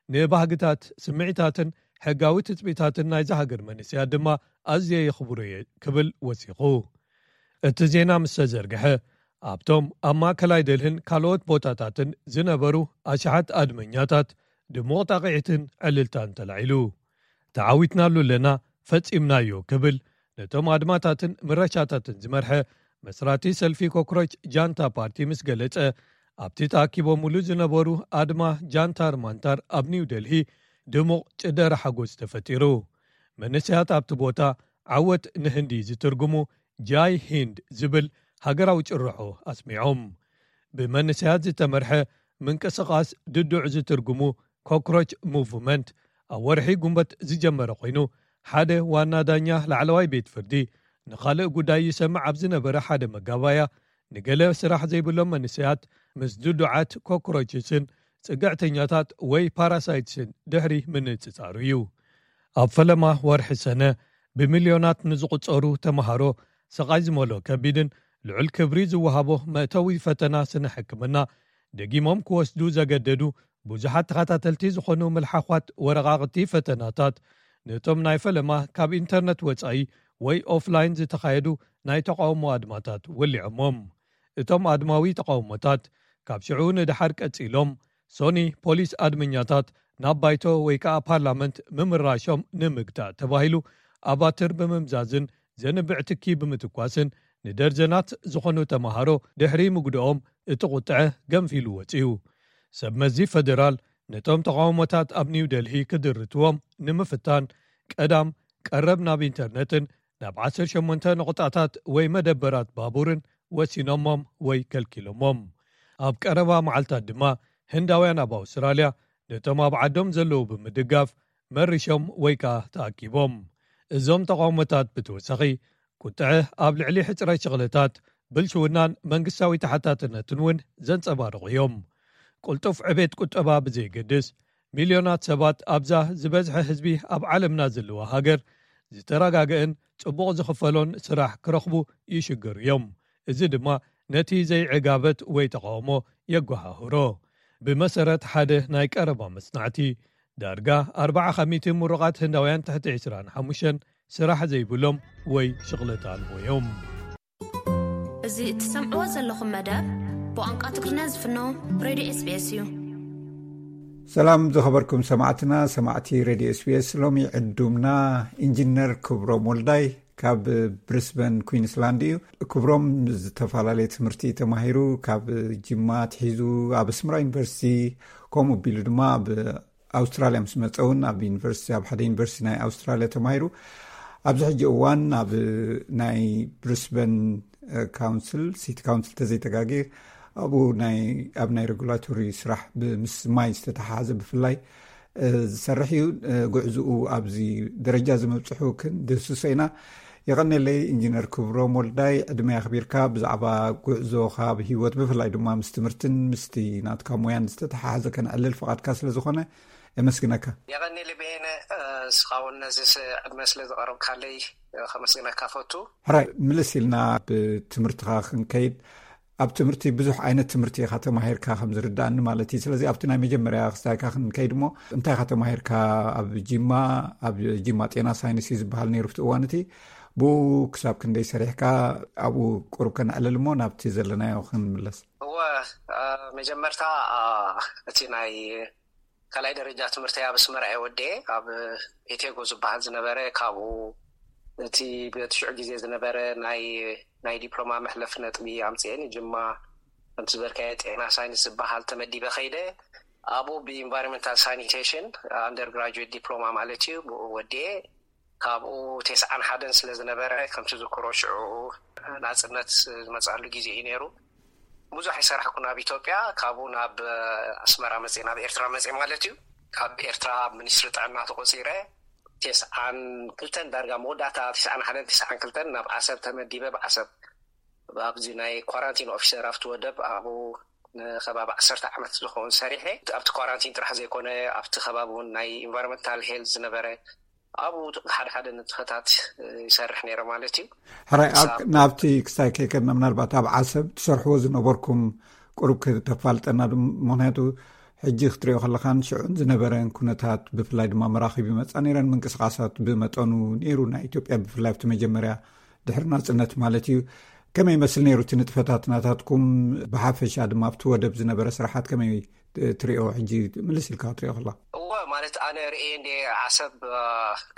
ንባህግታት፣ ስምዒታትን ሕጋዊ ትጽቢታትን ናይዚ ሃገር መንእሰያት ድማ ኣዝየ የኽብሮ እየ ክብል ወሲኹ። እቲ ዜና ምስ ተዘርግሐ፣ ኣብቶም ኣብ ማእከላይ ደልህን ካልኦት ቦታታትን ዝነበሩ ኣሽሓት ኣድመኛታት ድሙቕ ጣቕዒትን ዕልልታን ተላዒሉ። ተዓዊትናሉ ኣለና፣ ፈጺምናዮ ክብል ነቶም ኣድማታትን ምረሻታትን ዝመርሐ መስራቲ ሰልፊ ኮክሮች ጃንታ ፓርቲ ምስ ገለጸ፣ ኣብቲ ተኣኪቦምሉ ዝነበሩ ኣድማ ጃንታር ማንታር ኣብ ኒው ደልሂ ድሙቕ ጭደረ ሓጎስ ተፈጢሩ። መንእሰያት ኣብቲ ቦታ ዓወት ንህንዲ ዝትርጉሙ ጃይ ሂንድ ዝብል ሃገራዊ ጭርሖ ኣስሚዖም። ብመንእሰያት ዝተመርሐ ምንቅስቓስ ድዱዕ ዝትርጉሙ ኮክሮች ሙቭመንት ኣብ ወርሒ ጉንበት ዝጀመረ ኮይኑ፣ ሓደ ዋና ዳኛ ላዕለዋይ ቤት ፍርዲ ንኻልእ ጉዳይ ይሰምዕ ኣብ ዝነበረ ሓደ መጋባያ፣ ንገለ ስራሕ ዘይብሎም መንእሰያት ምስ ድዱዓት ኮክሮችስን ጽግዕተኛታት ወይ ፓራሳይትስን ድሕሪ ምንጽጻሩ እዩ። ኣብ ፈለማ ወርሒ ሰነ ብሚልዮናት ንዝቑጸሩ ተመሃሮ ስቓይ ዝመልኦ ከቢድን ልዑል ክብሪ ዝወሃቦ መእተዊ ፈተና ስነ ሕክምና ደጊሞም ክወስዱ ዘገደዱ ብዙሓት ተኸታተልቲ ዝኾኑ ምልሓዃት ወረቓቕቲ ፈተናታት፣ ነቶም ናይ ፈለማ ካብ ኢንተርነት ወጻኢ ወይ ኦፍላይን ዝተኻየዱ ናይ ተቓውሞ ኣድማታት ወሊዖሞም። እቶም ኣድማዊ ተቓውሞታት ካብ ሽዑ ንደሓር ቀጺሎም፣ ሶኒ ፖሊስ ኣድመኛታት ናብ ባይቶ ወይ ከኣ ፓርላመንት ምምራሾም ንምግታእ ተባሂሉ ኣባትር ብምምዛዝን ዘንብዕ ትኪ ብምትኳስን ንደርዘናት ዝኾኑ ተመሃሮ ድሕሪ ምግድኦም እቲ ቁጥዐ ገንፊሉ ወጺኡ። ሰብ መዚ ፈደራል ነቶም ተቓውሞታት ኣብ ኒው ደልሂ ክድርትዎም ንምፍታን ቀዳም ቀረብ ናብ ኢንተርነትን ናብ ዓሰርተ ሸሞንተ ነቑጣታት ወይ መደበራት ባቡርን ወሲኖሞም ወይ ከልኪሎሞም። ኣብ ቀረባ መዓልታት ድማ ህንዳውያን ኣብ ኣውስትራልያ ነቶም ኣብ ዓዶም ዘለዉ ብምድጋፍ መሪሾም ወይ ከኣ ተኣኪቦም። እዞም ተቓውሞታት ብተወሳኺ ቁጥዐ ኣብ ልዕሊ ሕጽረት ሽቕለታት፣ ብልሽውናን መንግስታዊ ተሓታትነትን እውን ዘንጸባርቑ እዮም። ቅልጡፍ ዕቤት ቁጠባ ብዘይገድስ፣ ሚልዮናት ሰባት ኣብዛ ዝበዝሐ ህዝቢ ኣብ ዓለምና ዘለዋ ሃገር ዝተረጋገአን ጽቡቕ ዝኽፈሎን ስራሕ ክረኽቡ ይሽገሩ እዮም። እዚ ድማ ነቲ ዘይዕጋበት ወይ ተቓውሞ የጓሃህሮ። ብመሰረት ሓደ ናይ ቀረባ መጽናዕቲ፣ ዳርጋ ኣርብዓ ከሚቲ ምሩቓት ህንዳውያን ትሕቲ ዕስራን ሓሙሽተን ስራሕ ዘይብሎም ወይ ሽቕለታ ኣልቦ እዮም። እዚ እትሰምዕዎ ዘለኹም መደብ ብቋንቋ ትግርኛ ዝፍኖ ሬድዮ ኤስቢኤስ እዩ። ሰላም ዝኸበርኩም ሰማዕትና፣ ሰማዕቲ ሬድዮ ኤስቢኤስ። ሎሚ ዕዱምና ኢንጂነር ክብሮም ወልዳይ ካብ ብሪስበን ኩዊንስላንድ እዩ። ክብሮም ዝተፈላለየ ትምህርቲ ተማሂሩ፣ ካብ ጅማ ኣትሒዙ ኣብ ኣስመራ ዩኒቨርሲቲ፣ ከምኡ ኣቢሉ ድማ ኣብ ኣውስትራልያ ምስ መጸ እውን ኣብ ዩኒቨርሲቲ፣ ኣብ ሓደ ዩኒቨርሲቲ ናይ ኣውስትራልያ ተማሂሩ። ኣብዚ ሕጂ እዋን ኣብ ናይ ብሪስበን ካውንስል፣ ሲቲ ካውንስል ተዘይተጋጌ፣ ኣብኡ ናይ፣ ኣብ ናይ ሬጉላቶሪ ስራሕ ብ-፣ ምስ ማይ ዝተተሓሓዘ ብፍላይ፣ እ፣ ዝሰርሕ እዩ። እ፣ ጉዕዝኡ ኣብዚ ደረጃ እዚ ምብጽሑ ክንድህስሶ ኢና። የቐንየለይ ኢንጂነር ክብሮም ወልዳይ፣ ዕድመ ኣኽቢርካ ብዛዕባ ጉዕዞኻ ብህይወት፣ ብፍላይ ድማ ምስ ትምህርትን ምስቲ ናትካ ሞያን ዝተተሓሓዘ ከነዕልል ፍቓድካ ስለ ዝኾነ የመስግነካ። የቐንየለይ በየነ፣ እ፣ ንስኻ እውን ነዚ ስ-፣ ዕድመ ስለ ዘቐረብካለይ፣ እ፣ ከመስግነካ ፈቱ። ሕራይ፣ ምልስ ኢልና ብትምህርትኻ ክንከይድ፣ ኣብ ትምህርቲ ብዙሕ ዓይነት ትምህርቲ ኢኻ ተማሂርካ ከም ዝርዳእኒ ማለት እዩ። ስለዚ ኣብቲ ናይ መጀመርያ ክስታይካ ክንከይድ እሞ፣ እንታይ ኢኻ ተማሂርካ ኣብ ጂማ? ኣብ ጂማ ጤና ሳይንስ እዩ ዝበሃል ነይሩ ኣብቲ እዋን እቲ። ብኡ ክሳብ ክንደይ ሰሪሕካ? ኣብኡ ቁሩብ ከነዕልል እሞ ናብቲ ዘለናዮ ክንምለስ። እወ፣ እ፣ መጀመርታ፣ እ፣ እቲ ናይ ካልኣይ ደረጃ ትምህርተይ ኣብ ኣስመራ እየ ወዲኤ፣ ኣብ ኤቴጎ ዝበሃል ዝነበረ። ካብኡ እቲ በቲ ሽዑ ግዜ ዝነበረ ናይ፣ ናይ ዲፕሎማ መሕለፊ ነጥቢ ኣምፅኤ ንጅማ፣ ከምቲ ዝበልካዮ ጤና ሳይንስ ዝበሃል ተመዲበ ከይደ። ኣብኡ ብኢንቫይሮንመንታል ሳኒቴሽን ኣንደር ግራጁዌት ዲፕሎማ ማለት እዩ፣ ብኡ ወዲኤ። ካብኡ ተስዓን ሓደን ስለ ዝነበረ፣ ከምቲ ዝክሮ ሽዑ ናጽነት ዝመጽኣሉ ግዜ እዩ ነይሩ። ብዙሕ ኣይሰራሕኩን ኣብ ኢትዮጵያ። ካብኡ ናብ ኣስመራ መጽኤ፣ ናብ ኤርትራ መጽኤ ማለት እዩ። ካብ ኤርትራ ኣብ ሚኒስትሪ ጥዕና ተቖጺረ። ተስዓን ክልተን ዳርጋ መወዳእታ፣ ተስዓን ሓደን ተስዓን ክልተን ናብ ዓሰብ ተመዲበ። ብዓሰብ ኣብዚ ናይ ኳራንቲን ኦፊሰር ኣብቲ ወደብ ኣብኡ ንከባቢ ዓሰርተ ዓመት ዝኸውን ሰሪሐ። ኣብቲ ኳራንቲን ጥራሕ ዘይኮነ፣ ኣብቲ ከባቢ እውን ናይ ኢንቫይሮንመንታል ሄልዝ ዝነበረ፣ ኣብኡ ሓደ ሓደ ንጥፈታት ይሰርሕ ነይረ ማለት እዩ። ሕራይ፣ ኣብ፣ ክሳብ ናብቲ ክስታይ ከይከድና፣ ምናልባት ኣብ ዓሰብ ትሰርሕዎ ዝነበርኩም ቁሩብ ከተፋልጠና ዶ? ምኽንያቱ ሕጂ ክትሪኦ ከለኻን ሽዑን ዝነበረን ኩነታት፣ ብፍላይ ድማ መራኺብ ይመጻ ነይረን፣ ምንቅስቃሳት ብመጠኑ ነይሩ ናይ ኢትዮጵያ፣ ብፍላይ ኣብቲ መጀመርያ ድሕሪ ናጽነት ማለት እዩ። ከመይ ይመስል ነይሩ እቲ ንጥፈታት ናታትኩም? ብሓፈሻ ድማ ኣብቲ ወደብ ዝነበረ ስራሓት ከመይ ትሪኦ? ሕጂ ምልስ ኢልካ ክትሪኦ ከላ። እወ፣ ማለት ኣነ ርእየ እንደ ዓሰብ፣ እ፣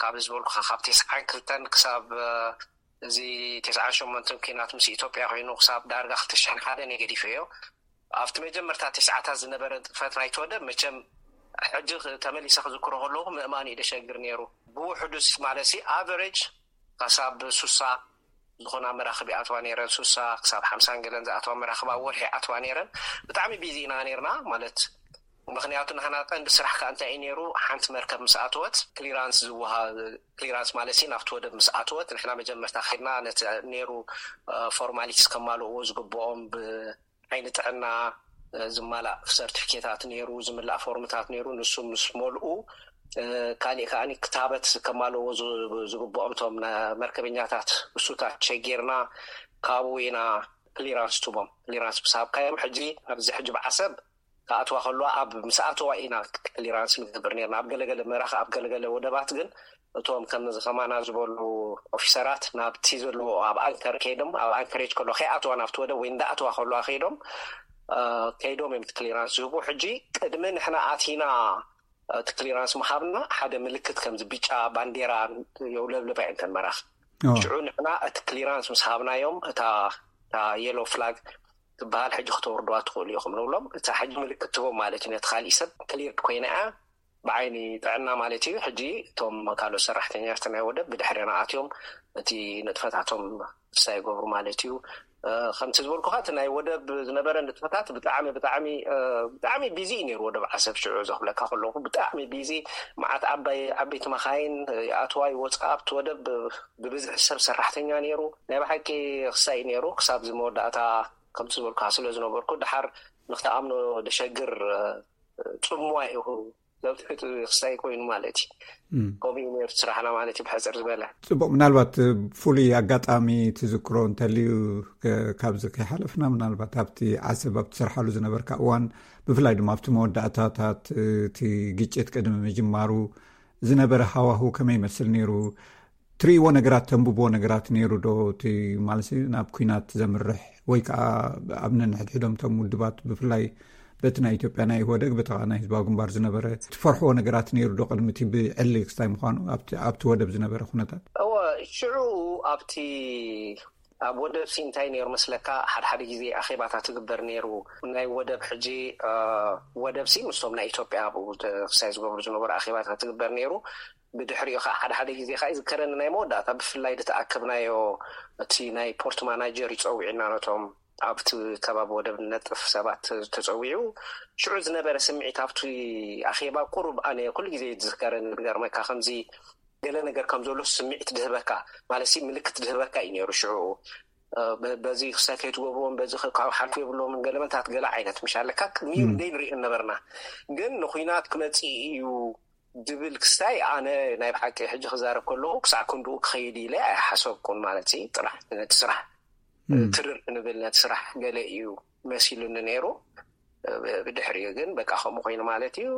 ካብ ዝበልኩኻ ካብ ተስዓን ክልተን ክሳብ፣ እ፣ እዚ ተስዓን ሸሞንተን ኲናት ምስ ኢትዮጵያ ኮይኑ ክሳብ ዳርጋ ክልተ ሽሕን ሓደን ገዲፈዮ። ኣብቲ መጀመርታ ተስዓታት ዝነበረ ንጥፈት ናይቲ ወደብ መቸም ሕጂ ተመሊሰ ክዝክሮ ከለኹ ምእማን እዩ ደሸግር ነይሩ። ብውሕዱስ ማለት ሲ ኣቨሬጅ ካሳብ ሱሳ ዝኾና መራኽብ ይኣትዋ ነይረን። ሱሳ ክሳብ ሓምሳን ገለን ዝኣትዋ መራኽብ ኣብ ወርሒ ይኣትዋ ነይረን። ብጣዕሚ ቢዚ ኢና ነይርና ማለት፣ ምኽንያቱ ንሕና ቀንዲ ስራሕ ከኣ እንታይ እዩ ነይሩ? ሓንቲ መርከብ ምስ ኣተወት ክሊራንስ ዝወሃ-፣ ክሊራንስ ማለት ሲ ናብቲ ወደብ ምስ ኣተወት ንሕና መጀመርታ ከድና ነቲ ነይሩ፣ እ፣ ፎርማሊቲስ ከማልእዎ ዝግብኦም ብ-፣ ዓይኒ ጥዕና፣ እ፣ ዝማላእ ሰርቲፊኬታት ነይሩ፣ ዝምላእ ፎርምታት ነይሩ። ንሱ ምስ መልኡ፣ እ፣ ካሊእ ከኣ ክታበት ከማልእዎ ዝ-፣ ዝግብኦም እቶም ነ-፣ መርከበኛታት እሱታት ሸጊርና ካብኡ ኢና ክሊራንስ ትቦም። ክሊራንስ ምስ ሃብካዮም ሕጂ ኣብዚ ሕጂ ብዓሰብ ክኣትዋ ከለዋ ኣብ ምስ ኣተዋ ኢና ክሊራንስ ንገብር ነርና። ኣብ ገለገለ መራኽ-፣ ኣብ ገለገለ ወደባት ግን እቶም ከምዚ ከማና ዝበሉ ኦፊሰራት ናብቲ ዘለዎ ኣብ ኣንከር ከይዶም፣ ኣብ ኣንከሬጅ ከሎ ከይኣትዋ ናብቲ ወደብ ወይ እንዳኣትዋ ከለዋ ከይዶም፣ እ፣ ከይዶም እዮም እቲ ክሊራንስ ዝህቡ። ሕጂ ቅድሚ ንሕና ኣቲና እቲ ክሊራንስ ምሃብና ሓደ ምልክት ከምዚ ብጫ ባንዴራ የውለብልባ እየን እተን መራኽብ። ሽዑ ንሕና እቲ ክሊራንስ ምስ ሃብናዮም እታ፣ እታ የሎ ፍላግ ትበሃል ሕጂ ክተወርድዋ ትኽእሉ ኢኹም ንብሎም። እታ ሕጂ ምልክት ትቦም ማለት እዩ። ነቲ ካሊእ ሰብ ክሊርድ ኮይና እያ ብዓይኒ ጥዕና ማለት እዩ። ሕጂ እቶም ካልኦት ሰራሕተኛታት ናይ ወደብ ብድሕሪና ኣትዮም እቲ ንጥፈታቶም ክሳ ይገብሩ ማለት እዩ። እ፣ ከምቲ ዝበልኩኻ እቲ ናይ ወደብ ዝነበረ ንጥፈታት ብጣዕሚ፣ ብጣዕሚ፣ እ፣ ብጣዕሚ ቢዚ እዩ ነይሩ ወደብ ዓሰብ ሽዑ ዘኽብለካ ከለኹ። ብጣዕሚ ቢዚ፣ መዓት ዓባይ፣ ዓበይቲ መኻይን ይኣትዋ ይወፅኣ ኣብቲ ወደብ። ብብዝሒ ሰብ ሰራሕተኛ ነይሩ። ናይ ብሓቂ ክሳይ ነይሩ። ክሳብ እዚ መወዳእታ ከምቲ ዝበልኩኻ ስለ ዝነበርኩ፣ ድሓር ንክትኣምኖ ደሸግር፣ እ፣ ጽምዋ እዩ። ዘብትሕት ክስታይ ኮይኑ ማለት እዩ። እም። ከምኡ እዩ ነይሩ ስራሕና ማለት እዩ፣ ብሕፅር ዝበለ። ጽቡቕ፣ ምናልባት ፍሉይ ኣጋጣሚ ትዝክሮ እንተልዩ፣ ከ-፣ ካብዚ ከይሓለፍና፣ ምናልባት ኣብቲ ዓሰብ ኣብ ትሰርሓሉ ዝነበርካ እዋን፣ ብፍላይ ድማ ኣብቲ መወዳእታታት እቲ ግጭት ቅድሚ ምጅማሩ ዝነበረ ሃዋሁ ከመይ ይመስል ነይሩ? ትርእይዎ ነገራት፣ ተንብብዎ ነገራት ነይሩ ዶ? እቲ ማለት ናብ ኲናት ዘምርሕ ወይ ከዓ ኣብ ነንሕድሕዶም እቶም ውድባት ብፍላይ በቲ ናይ ኢትዮጵያ ናይ ኢህወደግ በቲ ናይ ህዝባዊ ግንባር ዝነበረ ትፈርሕዎ ነገራት ነይሩ ዶ? ቅድሚ እቲ ብዕሊ ክስታይ ምዃኑ ኣብቲ፣ ኣብቲ ወደብ ዝነበረ ኩነታት? እወ፣ ሽዑ ኣብቲ ኣብ ወደብ ሲ እንታይ ነይሩ መስለካ? ሓደ ሓደ ግዜ ኣኼባታት ትግበር ነይሩ። ናይ ወደብ ሕጂ፣ እ፣ ወደብ ሲ ምስቶም ናይ ኢትዮጵያ ኣብኡ ተ-፣ ክስታይ ዝገብሩ ዝነበሩ ኣኼባታት ትግበር ነይሩ። ብድሕሪኡ ከዓ ሓደ ሓደ ግዜ ከዓ ይዝከረኒ ናይ መወዳእታ ብፍላይ ዝተኣከብናዮ እቲ ናይ ፖርት ማናጀር ይፀዊዕና ነቶም ኣብቲ ከባቢ ወደብ ነጥፍ ሰባት ተፀዊዑ ሽዑ ዝነበረ ስምዒት ኣብቲ ኣኼባ ቁሩብ ኣነ ኩሉ ግዜ ዝዝከረኒ ዝገርመካ ከምዚ ገለ ነገር ከም ዘሎ ስምዒት ድህበካ ማለት ሲ ምልክት ድህበካ እዩ ነይሩ ሽዑ። እ፣ በ-፣ በዚ ክሳይ ከይትገብርዎም በዚ ከ-፣ ካብ ሓልፉ የብለዎምን ገለመንታት ገለ ዓይነት ምሽ ኣለካ ቅድሚኡ እም። ደይ ንሪኦ ነበርና ግን ንኩናት ክመፅእ እዩ ድብል ክስታይ ኣነ ናይ ብሓቂ ሕጂ ክዛረብ ከለኹ ክሳዕ ክንድኡ ክኸይድ ኢለ ኣይሓሰብኩን ማለት እዩ። ጥራሕ ነቲ ስራሕ እም። ትርር ክንብል ነቲ ስራሕ ገለ እዩ መሲሉኒ ነይሩ። ብድሕሪኡ ግን በቃ ከምኡ ኮይኑ ማለት እዩ።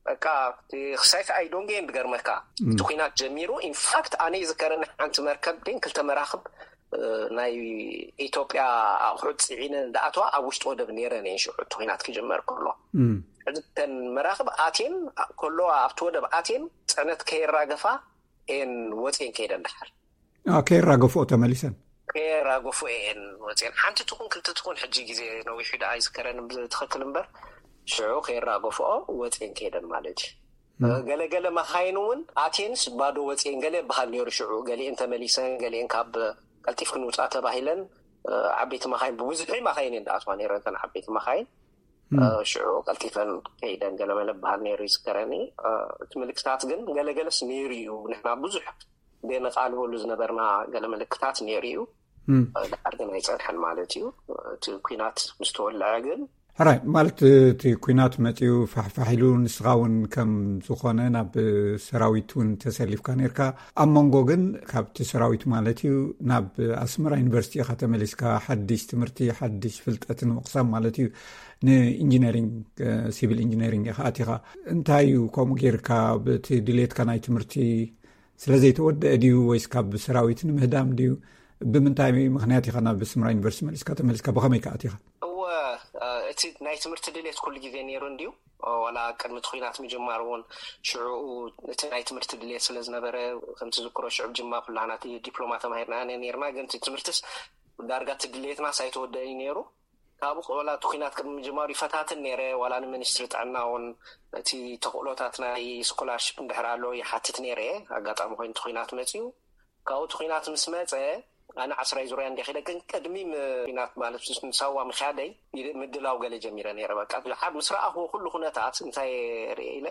በቃ እቲ ክሳይ ከኣ ኣይዶንጌን ዝገርመካ እም። እቲ ኩናት ጀሚሩ ኢንፋክት ኣነ ይዝከረኒ ሓንቲ መርከብ ግን ክልተ መራኽብ እ፣ ናይ ኢትዮጵያ ኣቑሑት ጽዒነን እንዳኣተዋ ኣብ ውሽጢ ወደብ ነይረን እየን ሽዑ እቲ ኩናት ክጅመር ከሎ። እም። ሕጂ እተን መራኽብ ኣትየን ከለዋ ኣብቲ ወደብ ኣትየን ጽዕነት ከየራገፋ እየን ወጽየን ከይደን ደሓር። አ፣ ከየራገፍኦ ተመሊሰን? ከየራገፍኦ እየን ወጽየን። ሓንቲ ትኹን ክልተ ትኹን ሕጂ ግዜ ነዊሑ ደኣ ኣይዝከረን ብትኽክል እምበር ሽዑ ከየራገፍኦ ወጽየን ከይደን ማለት እዩ። እም። ገለገለ መኻይን እውን ኣትየንስ ባዶ ወፅኤን ገለ ይበሃል ነይሩ። ሽዑ ገሊኤን ተመሊሰን፣ ገሊኤን ካብ ቀልጢፍ ክንውፃ ተባሂለን፣ እ፣ ዓበይቲ መኻይን፣ ብብዝሒ መኻይን እየን ዝኣትዋ ነይረን፣ እተን ዓበይቲ መኻይን። እም። እ፣ ሽዑ ቀልጢፈን ከይደን ገለመለ ይበሃል ነይሩ ይዝከረኒ። እ፣ እቲ ምልክታት ግን ገለገለስ ነይሩ እዩ። ንሕና ብዙሕ ደነቓልበሉ ዝነበርና ገለ ምልክታት ነይሩ እዩ። እም። እ፣ ድሓር ግን ኣይፀንሐን ማለት እዩ። እቲ ኲናት ምስ ተወልዐ ግን ሕራይ ማለት እቲ ኩናት መፂኡ ፋሕፋሕ ኢሉ ንስኻ እውን ከም ዝኾነ ናብ ሰራዊት እውን ተሰሊፍካ ነርካ። ኣብ መንጎ ግን ካብቲ ሰራዊት ማለት እዩ ናብ ኣስመራ ዩኒቨርሲቲ ኢኻ ተመሊስካ፣ ሓድሽ ትምህርቲ ሓድሽ ፍልጠት ንምቕሳም ማለት እዩ። ንኢንጂነሪንግ፣ ሲቪል ኢንጂነሪንግ ኢኻ ኣቲኻ። እንታይ እዩ ከምኡ ጌርካ? ብቲ ድሌትካ ናይ ትምህርቲ ስለ ዘይተወደአ ድዩ ወይስ ካብ ሰራዊት ንምህዳም ድዩ? ብምንታይ ምኽንያት ኢኻ ናብ ኣስመራ ዩኒቨርሲቲ መሊስካ ተመሊስካ? ብኸመይ ከ ኣቲኻ? እወ፣ እቲ ናይ ትምህርቲ ድሌት ኩሉ ግዜ ነይሩ እንድዩ። ዋላ ቅድሚ እቲ ኩናት ምጅማር እውን ሽዑ እቲ ናይ ትምህርቲ ድሌት ስለ ዝነበረ፣ ከምቲ ዝክሮ ሽዑ ጅማ ኩላህና እቲ ዲፕሎማ ተማሂርና ነይርና። ግን እቲ ትምህርትስ ዳርጋ እቲ ድሌትናስ ኣይተወደእን እዩ ነይሩ። ካብኡ ዋላ እቲ ኩናት ቅድሚ ምጅማሩ ይፈታትን ነይረ። ዋላ ንሚኒስትሪ ጥዕና እውን እቲ ተኽእሎታት ናይ ስኮላርሽፕ እንድሕር ኣሎ ይሓትት ነይረ። ኣጋጣሚ ኮይኑ እቲ ኩናት መፅዩ። ካብኡ እቲ ኩናት ምስ መፀ ኣነ ዓስራይ ዙርያ እንዲኺደ፣ ግን ቅድሚ ም- ኩናት ማለት ምስ ምሳዋ ምክያደይ ምድላው ገለ ጀሚረ ነይረ። በቃ ድሓር ምስ ረኣኽዎ ኩሉ ኩነታት እንታይ ርእ ኢለ፣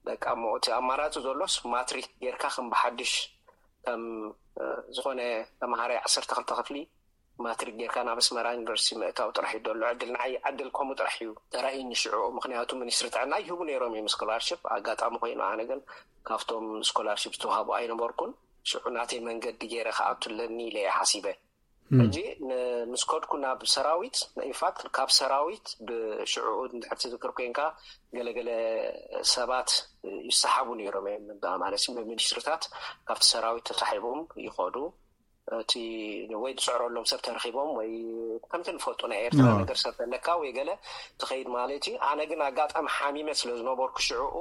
በቃ እሞ እቲ ኣማራፂ ዘሎስ ማትሪክ ጌርካ ከም ብሓድሽ ከም ዝኾነ ተምሃራይ ዓሰርተ ክልተ ክፍሊ ማትሪክ ጌርካ ናብ ኣስመራ ዩኒቨርሲቲ ምእታው ጥራሕ እዩ ዘሎ ዕድል። ንዓይ ዕድል ከምኡ ጥራሕ እዩ ተራእዩኒ ሽዑ። ምክንያቱ ሚኒስትሪ ጥዕና ይህቡ ነይሮም እዮም ስኮላርሽፕ። ኣጋጣሚ ኮይኑ ኣነ ግን ካብቶም ስኮላርሽፕ ዝተዋህቡ ኣይነበርኩን። ሽዑ ናተይ መንገዲ ገይረ ክኣቱ ኣለኒ ኢለ እየ ሓሲበ። ሕጂ ን- ምስ ከድኩ ናብ ሰራዊት፣ ኢንፋክት ካብ ሰራዊት ብሽዑ እንድሕር ትዝክር ኮንካ ገለገለ ሰባት ይሰሓቡ ነይሮም እዮም። ማለት ብሚኒስትርታት ካብቲ ሰራዊት ተሳሒቦም ይኸዱ። እቲ ወይ ዝስዕረሎም ሰብ ተረኺቦም ወይ ከምቲ ንፈልጦ ናይ ኤርትራ ነገር ሰብ ተለካ ወይ ገለ ትኸይድ ማለት እዩ። ኣነ ግን ኣጋጣሚ ሓሚመ ስለ ዝነበርኩ ሽዕኡ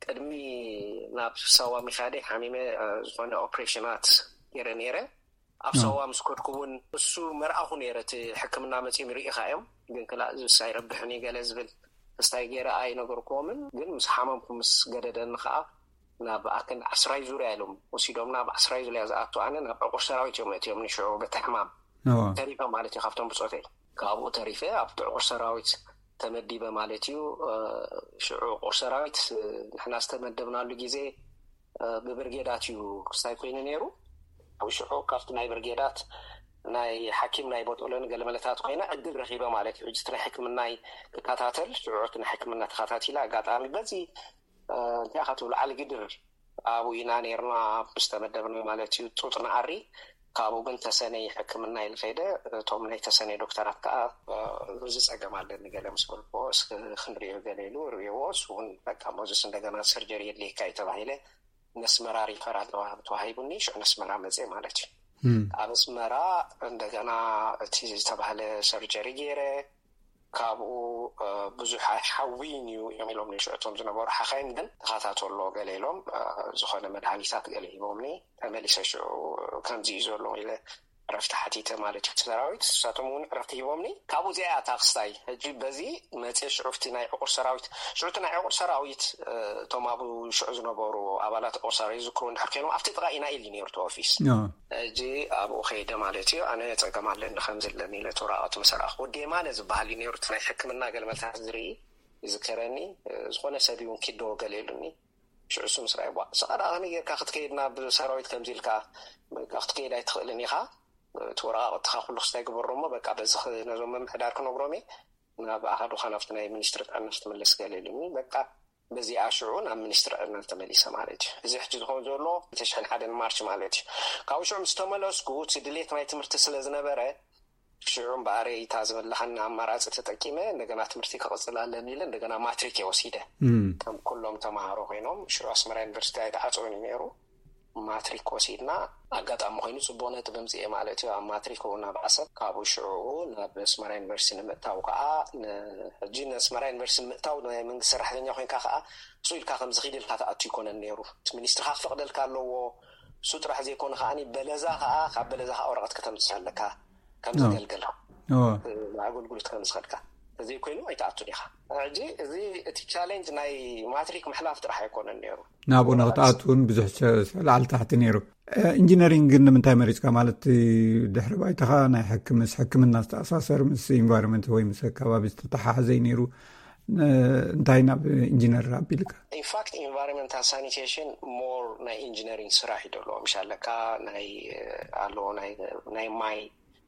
ቅድሚ ናብ ሳዋ ምኻደይ ሓሚመ ዝኾነ ኦፕሬሽናት ገይረ ነይረ። ኣብ ሳዋ ምስ ከድኩ እውን እሱ መርኣኹ ነይረ። እቲ ሕክምና መፂኦም ይርኢኻ እዮም፣ ግን ክላ ዝብስ ኣይረብሕን እዩ ገለ ዝብል ክስታይ ገይረ ኣይነገርኩዎምን። ግን ምስ ሓመምኩ ምስ ገደደኒ ከዓ ናብ ኣክን ዓስራይ ዙርያ ኢሎም ወሲዶም ናብ ዓስራይ ዙርያ ዝኣቱ ኣነ ናብ ዕቁር ሰራዊት እዮም እትዮም ንሽዑ በቲ ሕማም ተሪፈ ማለት እዩ። ካብቶም ብፆተይ ካብኡ ተሪፈ ኣብቲ ዕቁር ሰራዊት ተመዲበ ማለት እዩ። ሽዑ ዕቁር ሰራዊት ንሕና ዝተመደብናሉ ግዜ ብብርጌዳት እዩ ክስታይ ኮይኑ ነይሩ። ኣብ ሽዑ ካብቲ ናይ ብርጌዳት ናይ ሓኪም ናይ ቦጦሎኒ ገለመለታት ኮይነ ዕድል ረኺበ ማለት እዩ። ሕጂ ናይ ሕክምናይ ክከታተል ሽዑ እቲ ናይ ሕክምና ተኸታቲለ ኣጋጣሚ በዚ እንታይ ኢኻ ትብሎ ዓሊ ግድር ኣብኡ ኢና ነይርና ዝተመደብና ማለት እዩ። ጡጥ ንኣሪ ካብኡ ግን ተሰነይ ሕክምና ኢሉ ከይደ። እቶም ናይ ተሰነይ ዶክተራት ከዓ እዚ ፀገም ኣለኒ ገለ ምስ በልኩዎ እስኪ ክንሪኦ ገለ ኢሉ ርእዎ። እሱ እውን በቃ ሞዝስ እንደገና ሰርጀሪ የድልየካ እዩ ተባሂለ ነስመራ ሪፈራል ተዋሂቡኒ። ሽዑ ነስመራ መፅየ ማለት እዩ። ኣብ ኣስመራ እንደገና እቲ ዝተባህለ ሰርጀሪ ገይረ ካብኡ ብዙሕ ኣይሓዊን እዩ እዮም ኢሎም ሽዑ እቶም ዝነበሩ ሓኻይም ግን ተኸታተሎ ገለ ኢሎም ዝኾነ መድሃኒታት ገለ ሂቦምኒ። ተመሊሰ ሽዑ ከምዚ እዩ ዘሎ ኢለ ዕረፍቲ ሓቲተ ማለት እዩ። ሰራዊት ንሳቶም እውን ዕረፍቲ ሂቦምኒ። ካብኡ እዚኣ እያ እታ ክስታይ። ሕጂ በዚ መፅየ ሽዑ እቲ ናይ ዕቁር ሰራዊት ሽዑ እቲ ናይ ዕቁር ሰራዊት እቶም ኣብኡ ሽዑ ዝነበሩ ኣባላት ዕቁር ሰራዊት ዝዝክሩ እንድሕር ኮይኖም ኣብቲ ጥቓ ኢና ኢሉ ነይሩ እቲ ኦፊስ። ሕጂ ኣብኡ ከይደ ማለት እዩ። ኣነ ፀገም ኣለኒ ከምዚ ኣለኒ ኢለ እቲ ወረቓቕቲ ምስ ረኣኹ ወዲ የማነ ዝበሃል እዩ ነይሩ እቲ ናይ ሕክምና ገለመልታት ዝርኢ ይዝከረኒ። ዝኾነ ሰብ እውን ኪዶ ገለ ኢሉኒ። ሽዑ እሱ ምስ ረኣየ ቧ ንስኻ ደኣ ከመይ ጌርካ ክትከይድ ናብ ሰራዊት ከምዚ ኢልካ ክትከይድ ኣይትኽእልን ኢኻ። እቲ ወረቓቕትኻ ኩሉ ክስታይ ግበሮ እሞ በቃ በዚ ነዞም ምምሕዳር ክነግሮም እየ ናብኣ ከዱኻ ናብቲ ናይ ሚኒስትሪ ጥዕና ክትምለስ ገለ ኢሉኒ። በቃ በዚኣ ሽዑ ናብ ሚኒስትሪ ጥዕና ተመሊሰ ማለት እዩ። እዚ ሕጂ ዝኸውን ዘሎ ክልተ ሽሕን ሓደን ማርች ማለት እዩ። ካብኡ ሽዑ ምስ ተመለስኩ እቲ ድሌት ናይ ትምህርቲ ስለ ዝነበረ ሽዑ እምበኣር እታ ዝበላኻኒ ኣማራፂ ተጠቂመ እንደገና ትምህርቲ ክቕፅል ኣለኒ ኢለ እንደገና ማትሪክ እየ ወሲደ። ከም ኩሎም ተምሃሮ ኮይኖም ሽዑ ኣስመራ ዩኒቨርሲቲ ኣይተዓፀወን እዩ ነይሩ። ማትሪክ ወሲድና ኣጋጣሚ ኮይኑ ፅቡቕ ነጥቢ ምፅኤ ማለት እዩ። ኣብ ማትሪክ እውን ናብ ዓሰብ ካብኡ ሽዑ ናብ ኣስመራ ዩኒቨርሲቲ ንምእታው ከዓ ን- ሕጂ ንኣስመራ ዩኒቨርሲቲ ንምእታው ናይ መንግስቲ ሰራሕተኛ ኮይንካ ከዓ ስኡ ኢልካ ከምዚ ኪድ ኢልካ ትኣቱ ይኮነን ነይሩ። እቲ ሚኒስትሪ ከዓ ክፈቅደልካ ኣለዎ። እሱ ጥራሕ ዘይኮነ ከዓኒ በለዛ ከዓ ካብ በለዛ ከዓ ወረቐት ከተምፅእ ኣለካ ከም ዘገልገል ኣገልግሎት ከም ዝኸድካ ተዘይኮይኑ ኣይትኣቱን ኢኻ። ሕጂ እዚ እቲ ቻሌንጅ ናይ ማትሪክ ምሕላፍ ጥራሕ ኣይኮነን ነይሩ። ናብኡ ንክትኣቱ እውን ብዙሕ ላዕሊ ታሕቲ ነይሩ። ኢንጂነሪንግ ግን ንምንታይ መሪፅካ? ማለት ድሕሪ ባይታኻ ናይ ሕክምስ ሕክምና ዝተኣሳሰር ምስ ኢንቫይሮንመንት ወይ ምስ ኣከባቢ ዝተተሓሓዘ እዩ ነይሩ። እንታይ ናብ ኢንጂነር ኣቢልካ? ኢንፋክት ኢንቫይሮንመንታል ሳኒቴሽን ሞር ናይ ኢንጂነሪንግ ስራሕ እዩ ደለዎ። ምሽ ኣለካ ናይ ኣለዎ ናይ ማይ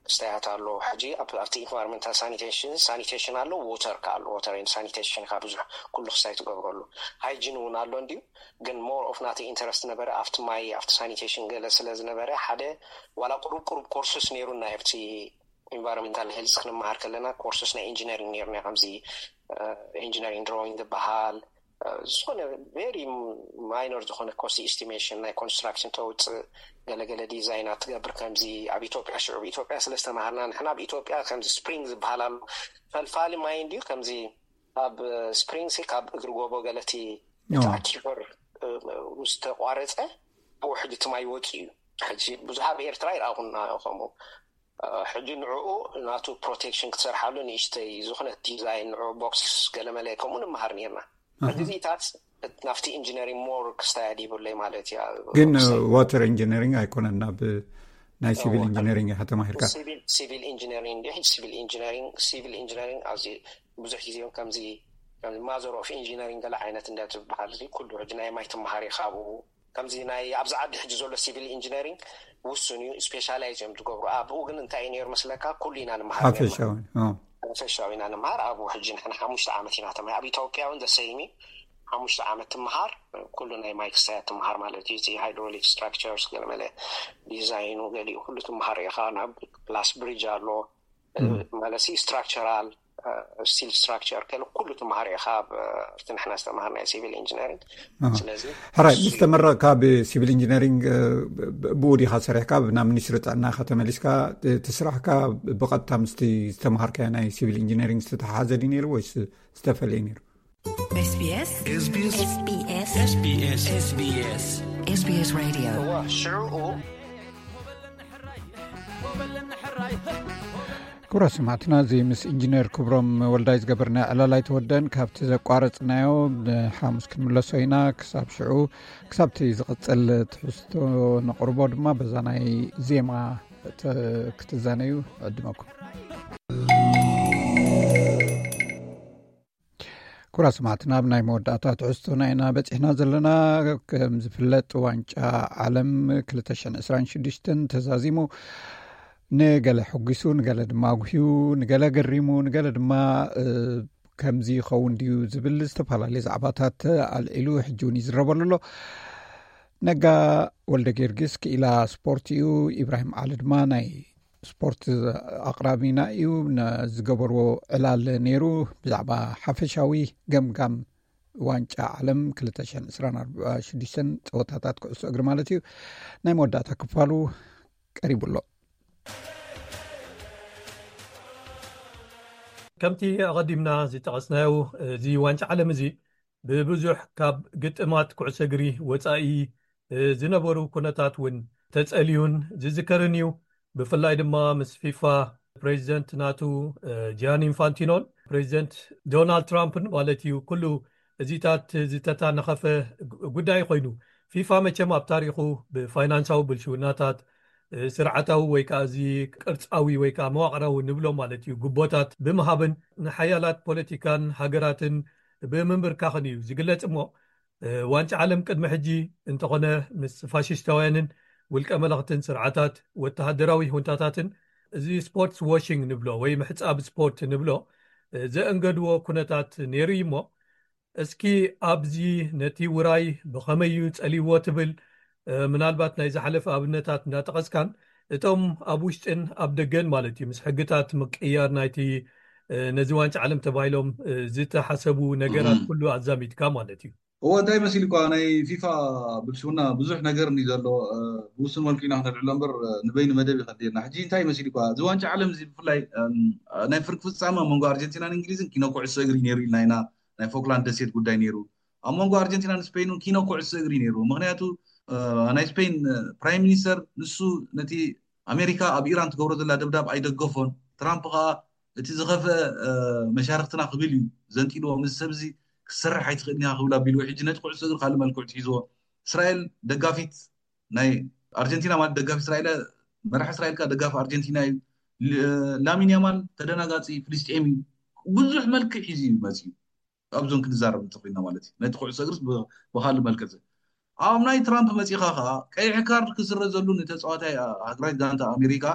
ክስታያት ኣሎ። ሕጂ ኣብቲ ኢንቫይሮንመንታል ሳኒቴሽን ሳኒቴሽን ኣሎ፣ ዎተር ከ ኣሎ። ዎተር ሳኒቴሽን ካብ ብዙሕ ኩሉ ክስታይ ትገብረሉ። ሃይጂን እውን ኣሎ እንዲዩ፣ ግን ሞር ኦፍ ናተይ ኢንተረስት ነበረ ኣብቲ ማይ ኣብቲ ሳኒቴሽን ገለ ስለ ዝነበረ ሓደ ዋላ ቁሩብ ቁሩብ ኮርስስ ነይሩና ኣብቲ ኢንቫይሮንመንታል ሄልዝ ክንመሃር ከለና ኮርስስ ናይ ኢንጂነሪንግ ነይሩና። ከምዚ ኢንጂነሪንግ ድሮዊንግ ዝበሃል ዝኾነ ቨሪ ማይኖር ዝኾነ ኮስት ኢስቲሜሽን ናይ ኮንስትራክሽን ተውፅእ፣ ገለገለ ዲዛይናት ትገብር። ከምዚ ኣብ ኢትዮጵያ ሽዑ ኢትዮጵያ ስለ ዝተማሃርና ንሕና ኣብ ኢትዮጵያ ከምዚ ስፕሪንግ ዝበሃል ኣሎ፣ ፈልፋሊ ማይ እንዲዩ። ከምዚ ኣብ ስፕሪንግ ሲ ካብ እግሪ ጎቦ ገለቲ እቲ ኣኪፈር ምስ ተቋረፀ ብኡ ሕጂ እቲ ማይ ወፂኡ እዩ። ሕጂ ብዙሕ ኣብ ኤርትራ ይረኣኹና ከምኡ። ሕጂ ንዕኡ ናቱ ፕሮቴክሽን ክትሰርሓሉ ንእሽተይ ዝኾነት ዲዛይን ንዕኡ ቦክስ ገለመለ ከምኡ ንምሃር ነርና። ሕጂ እዚታት ናብቲ ኢንጂነሪንግ ሞር ክስታያድ ይብለይ ማለት እያ። ግን ዋተር ኢንጂነሪንግ ኣይኮነን፣ ናብ ናይ ሲቪል ኢንጂነሪንግ ኢኻ ተማሂርካ። ሲቪል ኢንጂነሪንግ እንዲ ሕጂ ሲቪል ኢንጂነሪንግ ሲቪል ኢንጂነሪንግ ኣብዚ ብዙሕ ግዜ እውን ከምዚ ማዘር ኦፍ ኢንጂነሪንግ ገለ ዓይነት እንዳ ትበሃል እዚ ኩሉ ሕጂ ናይ ማይ ትመሃር ኢኻ ኣብኡ። ከምዚ ናይ ኣብዚ ዓዲ ሕጂ ዘሎ ሲቪል ኢንጂነሪንግ ውሱን እዩ፣ ስፔሻላይዝ እዮም ዝገብሩ። ኣብኡ ግን እንታይ እዩ ነይሩ መስለካ? ኩሉ ኢና ንምሃር ነርና። ሓፈሻዊ ኦ። ሓፈሻዊ ኢና ንምሃር። ኣብኡ ሕጂ ንሕና ሓሙሽተ ዓመት ኢና ተማሂር። ኣብ ኢትዮጵያ እውን ዘሰይሚ ሓሙሽተ ዓመት ትምሃር፣ ኩሉ ናይ ማይ ክስታያት ትምሃር ማለት እዩ። እዚ ሃይድሮሊክ ስትራክቸርስ ገለመለ ዲዛይኑ ገሊኡ ኩሉ ትምሃር ኢኻ። ናብ ፕላስ ብሪጅ ኣሎ ማለት ስትራክቸራል ስቲል ስትራክቸር ከለ ኩሉ ትምሃር ኢኻ። ኣብቲ ንሕና ዝተምሃርናዮ ሲቪል ኢንጂነሪንግ። ስለዚ ሕራይ ምስ ተመረቕካ ብሲቪል ኢንጂነሪንግ ብኡ ዲኻ ሰሪሕካ ናብ ሚኒስትሪ ጥዕና ኢኻ ተመሊስካ? እቲ ስራሕካ ብቐጥታ ምስቲ ዝተምሃርካዮ ናይ ሲቪል ኢንጂነሪንግ ዝተተሓሓዘ ድዩ ነይሩ ወይስ ዝተፈለየ ነይሩ? SBS SBS SBS SBS SBS Radio እዋ ሽዑኡ ክቡራት ሰማዕትና፣ እዚ ምስ ኢንጂነር ክብሮም ወልዳይ ዝገበርናዮ ዕላል ኣይተወደን። ካብቲ ዘቋረጽናዮ ንሓሙስ ክንምለሶ ኢና። ክሳብ ሽዑ፣ ክሳብቲ ዝቕጽል ትሕዝቶ ነቕርቦ ድማ በዛ ናይ ዜማ ተ- ክትዛነዩ ዕድመኩም። ክቡራት ሰማዕትና፣ ኣብ ናይ መወዳእታ ትሕዝቶና ኢና በጺሕና ዘለና። ከም ዝፍለጥ፣ ዋንጫ ዓለም ክልተ ሽሕን ዕስራን ሽዱሽተን ተዛዚሙ፣ ንገለ ሕጒሱ፣ ንገለ ድማ ኣጉህዩ፣ ንገለ ገሪሙ፣ ንገለ ድማ እ፣ ከምዚ ይኸውን ድዩ ዝብል ዝተፈላለዩ ዛዕባታት ኣልዒሉ ሕጂ እውን ይዝረበሉ ኣሎ። ነጋ ወልደ ጊዮርጊስ ክኢላ ስፖርት እዩ። ኢብራሂም ዓሊ ድማ ናይ ስፖርት ኣቕራቢና እዩ። ነ- ዝገበርዎ ዕላል ነይሩ ብዛዕባ ሓፈሻዊ ገምጋም ዋንጫ ዓለም ክልተ ሽሕን ዕስራን ሽዱሽተን ጸወታታት ኩዕሶ እግሪ ማለት እዩ። ናይ መወዳእታ ክፋሉ ቀሪቡ ኣሎ። ከምቲ ኣቐዲምና ዝጠቐስናዮ፣ እዚ ዋንጫ ዓለም እዚ ብብዙሕ ካብ ግጥማት ኩዕሶ እግሪ ወጻኢ ዝነበሩ ኩነታት እውን ተጸልዩን ዝዝከርን እዩ። ብፍላይ ድማ ምስ ፊፋ ፕሬዚደንት ናቱ ጂያን ኢንፋንቲኖን ፕሬዚደንት ዶናልድ ትራምፕን ማለት እዩ። ኩሉ እዚታት ዝተታነኸፈ ጉዳይ ኮይኑ፣ ፊፋ መቸም ኣብ ታሪኹ ብፋይናንሳዊ ብልሽውናታት፣ ስርዓታዊ ወይ ከዓ እዚ ቅርጻዊ ወይ ከዓ መዋቕራዊ ንብሎ ማለት እዩ፣ ጉቦታት ብምሃብን ንሓያላት ፖለቲካን ሃገራትን ብምንብርካኽን እዩ ዝግለጽ እሞ፣ ዋንጫ ዓለም ቅድሚ ሕጂ እንተኾነ ምስ ፋሽስታውያንን ውልቀ መለኽትን ስርዓታት ወተሃደራዊ ሁንታታትን እዚ ስፖርትስ ዋሽንግ ንብሎ ወይ ምሕጻብ ስፖርት ንብሎ ዘእንገድዎ ኩነታት ነይሩ እዩ እሞ፣ እስኪ ኣብዚ ነቲ ውራይ ብኸመይ እዩ ጸሊዎ ትብል፣ ምናልባት ናይ ዝሓለፈ ኣብነታት እንዳጠቐስካን እቶም ኣብ ውሽጥን ኣብ ደገን ማለት እዩ ምስ ሕግታት ምቅያር ናይቲ ነዚ ዋንጫ ዓለም ተባሂሎም ዝተሓሰቡ ነገራት ኩሉ ኣዛሚድካ ማለት እዩ። እዎ፣ እንታይ መሲልኳ ናይ ፊፋ ብልሽውና ብዙሕ ነገር እንዲ ዘሎ ብውሱን መልኩ ኢና ክነልዕሎ እምበር ንበይኑ መደብ ይኸድየና። ሕጂ እንታይ መሲልኳ እዚ ዋንጫ ዓለም እዚ ብፍላይ ናይ ፍርቂ ፍጻመ ኣብ መንጎ ኣርጀንቲናን እንግሊዝን ኪኖ ኩዕሶ እግሪ ነይሩ ኢልና ኢና። ናይ ፎክላንድ ደሴት ጉዳይ ነይሩ። ኣብ መንጎ ኣርጀንቲናን ስፔይን እውን ኪኖ ኩዕሶ እግሪ ነይሩ። ምክንያቱ ናይ ስፔይን ፕራይም ሚኒስተር ንሱ ነቲ ኣሜሪካ ኣብ ኢራን ትገብሮ ዘላ ደብዳብ ኣይደገፎን። ትራምፕ ከዓ እቲ ዝኸፍአ መሻርክትና ክብል እዩ ዘንጢልዎ። ምስ ሰብዚ ክትሰርሕ ኣይትኽእልን ኢኻ ክብል ኣቢልዎ። ሕጂ ነቲ ኩዕሶ እግሪ ካልእ መልክዕ ትሒዝዎ። እስራኤል ደጋፊት ናይ ኣርጀንቲና ማለት ደጋፊ እስራኤል፣ መራሒ እስራኤል ከዓ ደጋፊ ኣርጀንቲና እዩ። ላሚን ያማል ተደናጋፂ ፍልስጤም እዩ። ብዙሕ መልክዕ ሒዙ እዩ መፅዩ። ኣብዞን ክንዛረብ እንተኮይና ማለት እዩ። ነቲ ኩዕሶ እግርስ ብካልእ መልክዕ ኣብ ናይ ትራምፕ መፂኻ ከዓ ቀይሕ ካርድ ክስረዘሉ ንተፃዋታይ ሃገራዊት ጋንታ ኣሜሪካ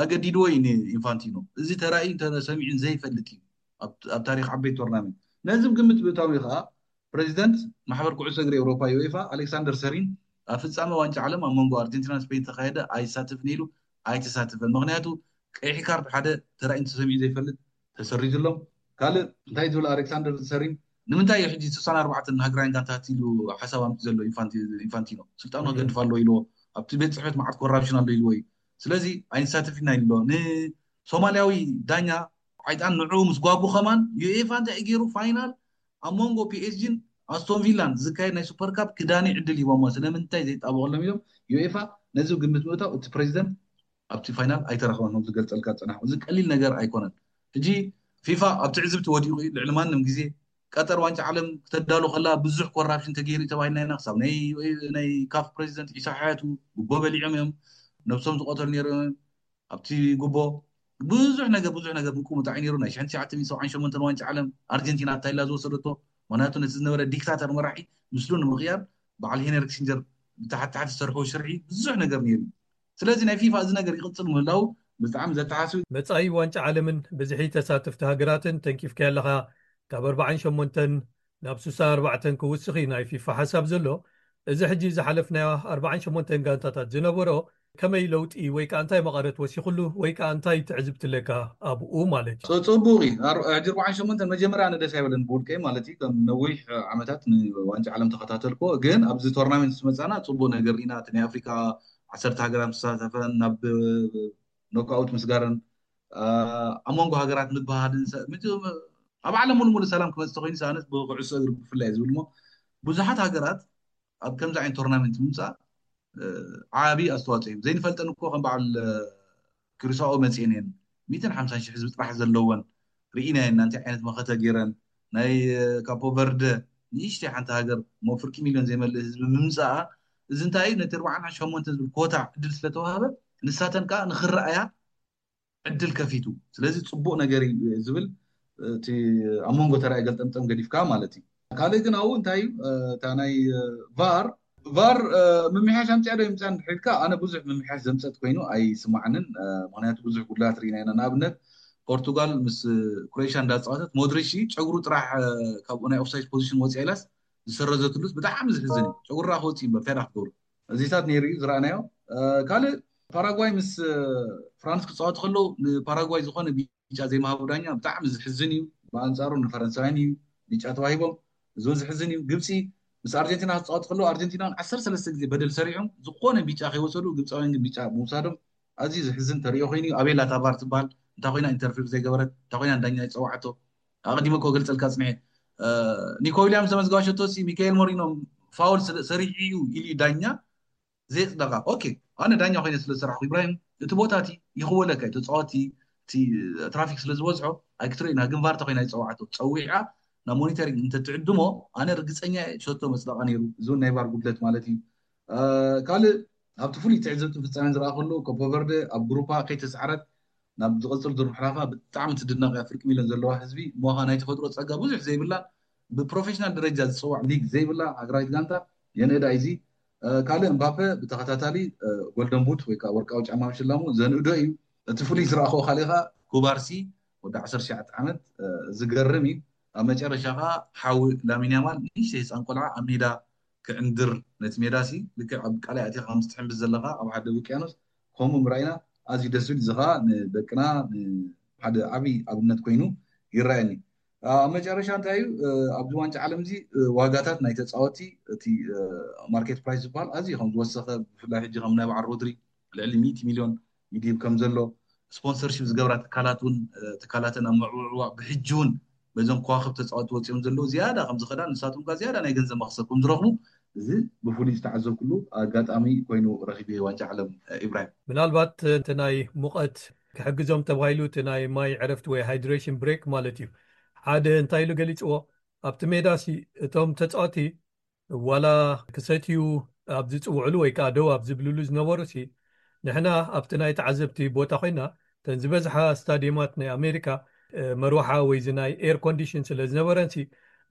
ኣገዲድዎ እዩ ንኢንፋንቲኖ። እዚ ተራእዩ ተሰሚዑን ዘይፈልጥ እዩ ኣብ ታሪክ ዓበይቲ ቶርናመንት። ነዚ ግምት ብእታዊ ከዓ ፕሬዚደንት ማሕበር ኩዕሶ እግሪ ኤውሮፓ ዩኤፋ ኣሌክሳንደር ሰሪን ኣብ ፍጻመ ዋንጫ ዓለም ኣብ መንጎ ኣርጀንቲና ስፔን ተካየደ ኣይሳተፍን ኢሉ ኣይተሳተፈን። ምክንያቱ ቀይሕ ካርድ ሓደ ተራእዩ ተሰሚዑ ዘይፈልጥ ተሰሪዙሎም። ካልእ እንታይ ትብል ኣሌክሳንደር ሰሪን? ንምንታይ እዩ ሕጂ ስሳን ኣርባዕተን ሃገራውያን ጋንታት ኢሉ ሓሳብ ኣምፂ ዘሎ ኢንፋንቲኖ? ስልጣኑ ከገድፍ ኣለዎ ኢልዎ ኣብቲ ቤት ፅሕፈት መዓት ኮራፕሽን ኣሎ ኢልዎ እዩ። ስለዚ ኣይንሳተፍ ኢና ኢሉ ኣሎ። ንሶማልያዊ ዳኛ ዓይጣን ንዑ ምስ ጓጉ ከማን ዩኤፋ እንታይ ገይሩ ፋይናል ኣብ መንጎ ፒኤስጂን ኣስቶን ቪላን ዝካየድ ናይ ሱፐር ካፕ ክዳኒ ዕድል ሂቦሞ ስለምንታይ ዘይጣበቀሎም ኢሎም ዩኤፋ ነዚ ግምት ምእታው እቲ ፕሬዚደንት ኣብቲ ፋይናል ኣይተረኸበን ከም ዝገልጸልካ ዝጸናሕኩ። እዚ ቀሊል ነገር ኣይኮነን። ሕጂ ፊፋ ኣብ ትዕዝብቲ ወዲቑ እዩ። ልዕሊ ማንም ግዜ ቀጠር ዋንጫ ዓለም ክተዳሉ ከላ ብዙሕ ኮራፕሽን ተገይሩ እዩ ተባሂልና ኢና። ክሳብ ናይ ናይ ካፍ ፕሬዚደንት ዒሳ ሓያቱ ጉቦ በሊዖም እዮም ነብሶም ዝቐተሉ ነይሮም እዮም። ኣብቲ ጉቦ ብዙሕ ነገር ብዙሕ ነገር ምቁምጣዕ እዩ ነይሩ። ናይ ሽሕን ትሽዓተ ሚእትን ሰብዓን ሸሞንተን ዋንጫ ዓለም ኣርጀንቲና እንታይ ኢላ ዝወሰደቶ? ምክንያቱ ነቲ ዝነበረ ዲክታተር መራሒ ምስሉ ንምቕያር በዓል ሄነሪ ኪሲንጀር ብታሕቲ ታሕቲ ዝሰርሕዎ ሽርሒ ብዙሕ ነገር ነይሩ። ስለዚ ናይ ፊፋ እዚ ነገር ይቕጽል ምህላው ብጣዕሚ ዘተሓስብ። መጻኢ ዋንጫ ዓለምን ብዝሒ ተሳተፍቲ ሃገራትን ተንኪፍካዮ ኣለኻ። ካብ ኣርባዓን ሸሞንተን ናብ ስሳ ኣርባዕተን ክውስኽ እዩ ናይ ፊፋ ሓሳብ ዘሎ። እዚ ሕጂ ዝሓለፍናዮ ኣርባዓን ሸሞንተን ጋንታታት ዝነበሮ ከመይ ለውጢ ወይ ከዓ እንታይ መቐረት ወሲኹሉ ወይ ከዓ እንታይ ትዕዝብቲ ኣለካ ኣብኡ ማለት እዩ? ጽ- ጽቡቕ እዩ። ኣር- ሕጂ ኣርባዓን ሸሞንተን መጀመርያ ኣነ ደስ ኣይበለን ብውልቀይ ማለት እዩ። ከም ነዊሕ ዓመታት ንዋንጫ ዓለም ተኸታተልኩ፣ ግን ኣብዚ ቶርናመንት ምስ መጻና ጽቡቕ ነገር ኢና። እቲ ናይ ኣፍሪካ ዓሰርተ ሃገራት ምስ ተሳተፈን ናብ ኖክኣውት ምስጋረን አ፣ ኣብ መንጎ ሃገራት ምብሃልን ሰ- ምት- ኣብ ዓለም ሙሉ ሙሉ ሰላም ክመጽእ ተኮይኑ ሰኣነት ብኩዕሶ እግሪ ብፍላይ ዝብል ሞ ብዙሓት ሃገራት ኣብ ከምዚ ዓይነት ቶርናመንት ምምፃእ እ፣ ዓቢ ኣስተዋፅኦ እዩ። ዘይንፈልጠን እኮ ከም በዓል እ፣ ክሪሳኦ መፅኤን እየን ሚእትን ሓምሳን ሺሕ ህዝቢ ጥራሕ ዘለወን ርኢናየን ናንቲ ዓይነት መኸተ ገይረን ናይ እ፣ ካፖ ቨርደ ንእሽተይ ሓንቲ ሃገር ሞ ፍርቂ ሚልዮን ዘይመልእ ህዝቢ ምምፃኣ እዚ እንታይ እዩ ነቲ ኣርባዓን ሸሞንተን ዝብል ኮታ ዕድል ስለተዋሃበ ንሳተን ከዓ ንክረኣያ ዕድል ከፊቱ። ስለዚ ፅቡቅ ነገር እዩ ዝብል እቲ ኣብ መንጎ ተራይ ገልጠምጠም ገዲፍካ ማለት እዩ። ካልእ ግን ኣብኡ እንታይ እዩ እታ ናይ ቫር ቫር ምምሕያሽ ኣምፅያ ዶ ይምፅያ እንድሕር ኢልካ ኣነ ብዙሕ ምምሕያሽ ዘምፀት ኮይኑ ኣይስማዕንን። ምክንያቱ ብዙሕ ጉድላት ርኢና ኢና። ንኣብነት ፖርቱጋል ምስ ክሮኤሽያ እንዳፃወተት ሞድሪሽ ጨጉሩ ጥራሕ ካብ ናይ ኦፍሳይድ ፖዚሽን ወፅያ ኢላስ ዝሰረዘትሉስ ብጣዕሚ ዝሕዝን እዩ። ጨጉራ ክወፅእ እምበር እንታይ ዳ ክትገብሩ እዚታት ነይሩ እዩ ዝረኣናዮ። ካልእ ፓራጓይ ምስ ፍራንስ ክፃወቱ ከለዉ ንፓራጓይ ዝኾነ ቢጫ ዘይምሃቡ ዳኛ ብጣዕሚ ዝሕዝን እዩ። ብኣንፃሩ ንፈረንሳውያን እዩ ቢጫ ተዋሂቦም፣ እዚ እውን ዝሕዝን እዩ። ግብፂ ምስ ኣርጀንቲና ክፃወቱ ከለዉ ኣርጀንቲናን ዓሰርተ ሰለስተ ግዜ በደል ሰሪሖም ዝኾነ ቢጫ ከይወሰዱ ግብፃውያን ግን ቢጫ ምውሳዶም ኣዝዩ ዝሕዝን ተሪኦ ኮይኑ እዩ። ኣቤላ ታባር ትበሃል እንታይ ኮይና ኢንተርፌር ዘይገበረት እንታይ ኮይና ንዳኛ ይፀዋዕቶ ኣቐዲመ እኮ ገልፀልካ ፅንሐ ኒኮ ዊልያምስ ዘመዝገባ ሸቶ ሲ ሚካኤል ሞሪኖ ፋውል ስለ- ሰሪዑ እዩ ኢሉ እዩ ዳኛ ዘየፅደቃ። ኦኬ ኣነ ዳኛ ኮይነ ስለ ዝሰራሕኩ ኢብራሂም እቲ ቦታ እቲ ይኽወለካ እዩ ተፃወቲ እቲ ትራፊክ ስለ ዝበዝሖ ኣይክትሪኦ ኢና ግን ቫርታ ኮይና ይፀዋዕቶ ፀዊዓ ናብ ሞኒተሪንግ እንተትዕድሞ ኣነ ርግፀኛ እየ ሸቶ መፅደቃ ነይሩ። እዚ እውን ናይ ቫር ጉድለት ማለት እዩ። ካልእ ኣብቲ ፍሉይ ትዕዝብቲ ፍፃሜ ዝረኣ ከለዉ ኮፖ ቨርደ ኣብ ግሩፓ ከይተስዓረት ናብ ዝቐፅል ዙር ምሕላፋ ብጣዕሚ ትድነቕ እያ። ፍርቂ ሚልዮን ዘለዋ ህዝቢ እሞ ኸዓ ናይ ተፈጥሮ ፀጋ ብዙሕ ዘይብላ ብፕሮፌሽናል ደረጃ ዝፅዋዕ ሊግ ዘይብላ ሃገራዊት ጋንታ የንእዳ እዩ። እዚ ካልእ እምባፔ ብተኸታታሊ ጎልደን ቡት ወይ ከዓ ወርቃዊ ጫማ ምሽላሙ ዘንእዶ እዩ። እቲ ፍሉይ ዝረኣኽዎ ካልእ ኸዓ ኩባርሲ ወዲ ዓሰርተ ትሽዓተ ዓመት ዝገርም እዩ። ኣብ መጨረሻ ኸዓ ሓዊ ላሚን ያማል ንእሽተይ ህፃን ቆልዓ ኣብ ሜዳ ክዕንድር ነቲ ሜዳ ሲ ልክዕ ኣብ ቃላይ ኣቲኻ ከም ዝትሕምብስ ዘለኻ ኣብ ሓደ ውቅያኖስ ከምኡ ምርኣይና ኣዝዩ ደስ ዝብል እዚ ኸዓ ንደቅና ሓደ ዓብዪ ኣብነት ኮይኑ ይረኣየኒ። ኣብ መጨረሻ እንታይ እዩ ኣብዚ ዋንጫ ዓለም እዚ ዋጋታት ናይ ተፃወቲ እቲ ማርኬት ፕራይስ ዝበሃል ኣዝዩ ከም ዝወሰኸ ብፍላይ ሕጂ ከም ናይ በዓል ሮድሪ ልዕሊ ሚእቲ ሚልዮን ይድይብ ከም ዘሎ ስፖንሰርሺፕ ዝገብራ ትካላት እውን ትካላተን ኣብ ምዕውዕዋ ብሕጂ እውን በዞም ከዋክብ ተፃወቲ ወፂኦም ዘለዉ ዝያዳ ከም ዝኸዳ ንሳቶም ከ ዝያዳ ናይ ገንዘብ መክሰብ ከም ዝረኽቡ እዚ ብፍሉይ ዝተዓዘብኩሉ ኣጋጣሚ ኮይኑ ረኺበ ዋንጫ ዓለም ኢብራሂም። ምናልባት እቲ ናይ ሙቐት ክሕግዞም ተባሂሉ እቲ ናይ ማይ ዕረፍቲ ወይ ሃይድሬሽን ብሬክ ማለት እዩ ሓደ እንታይ ኢሉ ገሊፅዎ ኣብቲ ሜዳ ሲ እቶም ተፃወቲ ዋላ ክሰትዩ ኣብ ዝፅውዕሉ ወይ ከዓ ደው ኣብ ዝብልሉ ዝነበሩ ሲ ንሕና ኣብቲ ናይ ተዓዘብቲ ቦታ ኮይና እተን ዝበዝሓ ስታዲየማት ናይ ኣሜሪካ መርዋሓ ወይ እዚ ናይ ኤር ኮንዲሽን ስለ ዝነበረን ሲ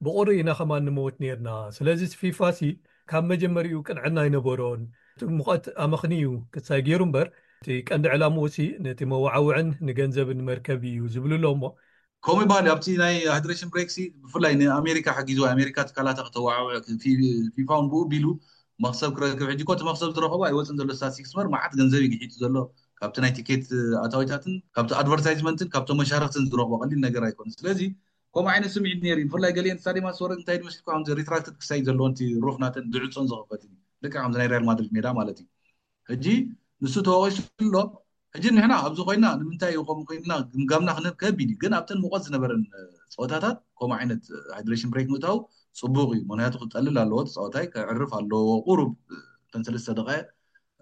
ብቑሪ ኢና ከማን ንመውት ነርና። ስለዚ ፊፋ ሲ ካብ መጀመሪኡ ቅንዕና ኣይነበሮን። እቲ ሙቐት ኣመኽንዩ ክሳይ ገይሩ እምበር እቲ ቀንዲ ዕላምኡ ሲ ነቲ መዋዓውዕን ንገንዘብን መርከብ እዩ ዝብሉ ኣሎ። እሞ ከምኡ ይበሃል እዩ። ኣብቲ ናይ ሃይድሬሽን ብሬክ ሲ ብፍላይ ንኣሜሪካ ሓጊዝዋ፣ ኣሜሪካ ትካላታ ከተዋዕውዕ፣ ፊ- ፊፋ እውን ብኡ ቢሉ መክሰብ ክረክብ። ሕጂ እኮ እቲ መክሰብ ዝረኸቦ ኣይወፅን ዘሎ፣ ስታቲስቲክስ በር መዓት ገንዘብ እዩ ግሒጡ ዘሎ ካብቲ ናይ ቲኬት ኣታዊታትን ካብቲ ኣድቨርታይዝመንትን ካብቶም መሻርክትን ዝረኽቦ ቀሊል ነገር ኣይኮነን። ስለዚ ከምኡ ዓይነት ስምዒት ነይሩ እዩ። ብፍላይ ገሊአን ስታዲየማት ዝወረድ እንታይ ድመስልኩ፣ ከምዚ ሪትራክትድ ክሳይ ዘለዎን እቲ ሩፍ ናተን ዝዕፆን ዝኸፈትን እዩ። ልክዕ ከምዚ ናይ ሪያል ማድሪድ ሜዳ ማለት እዩ። ሕጂ ንሱ ተወቂሱ ኣሎ። ሕጂ ንሕና ኣብዚ ኮይና ንምንታይ እዩ ከምኡ ኮይንና ግምጋምና ክንህብ ከቢድ እዩ። ግን ኣብተን ሙቐት ዝነበረን እ፣ ፀወታታት ከምኡ ዓይነት ሃይድሬሽን ብሬክ ምእታው ፅቡቅ እዩ። ምክንያቱ ክጠልል ኣለዎ፣ ተፃወታይ ከዕርፍ ኣለዎ። ቁሩብ እ፣ እተን ሰለስተ ደቃይቅ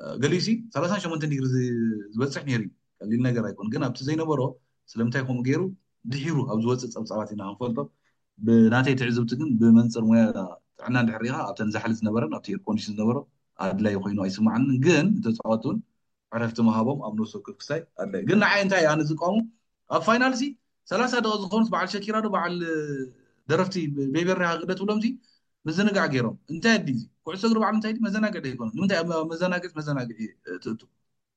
እ፣ ገሊኡ ሲ ሰላሳን ሸሞንተን ዲግሪ ዝ- ዝበፅሕ ነይሩ እዩ። ቀሊል ነገር ኣይኮን። ግን ኣብቲ ዘይነበሮ ስለምንታይ ከምኡ ገይሩ ድሒሩ ኣብ ዝወፅእ ፀብፃባት ኢና ክንፈልጦ። ብናተይ ትዕዝብቲ ግን ብመንፅር ሙያ ጥዕና እንድሕር ሪኢኻ ኣብተን ዛሕሊ ዝነበረን ኣብቲ ኤርኮንዲሽን ዝነበሮ ኣድላይ ኮይኑ ኣይስማዓንን። ግን ንተፃወትቲ እውን ዕረፍቲ ምሃቦም ኣብ ነፍሲ ወከፍ ክስታይ ኣድላይ። ግን ንዓይ እንታይ ኣነ ዝቃወሙ ኣብ ፋይናል ሲ ሰላሳ ደቂ ዝኾኑስ በዓል ሸኪራ ዶ በዓል ደረፍቲ ቤቤሪ ሃግደ ትብሎም ሲ ምዝንጋዕ ገይሮም እንታይ ኣዲ ኩዕሶ እግሪ በዓል እንታይ ድዩ መዘናግዒ ዶ ይኮኑ ንምንታይ ኣብ መዘናግዒ መዘናግዒ ትእቱ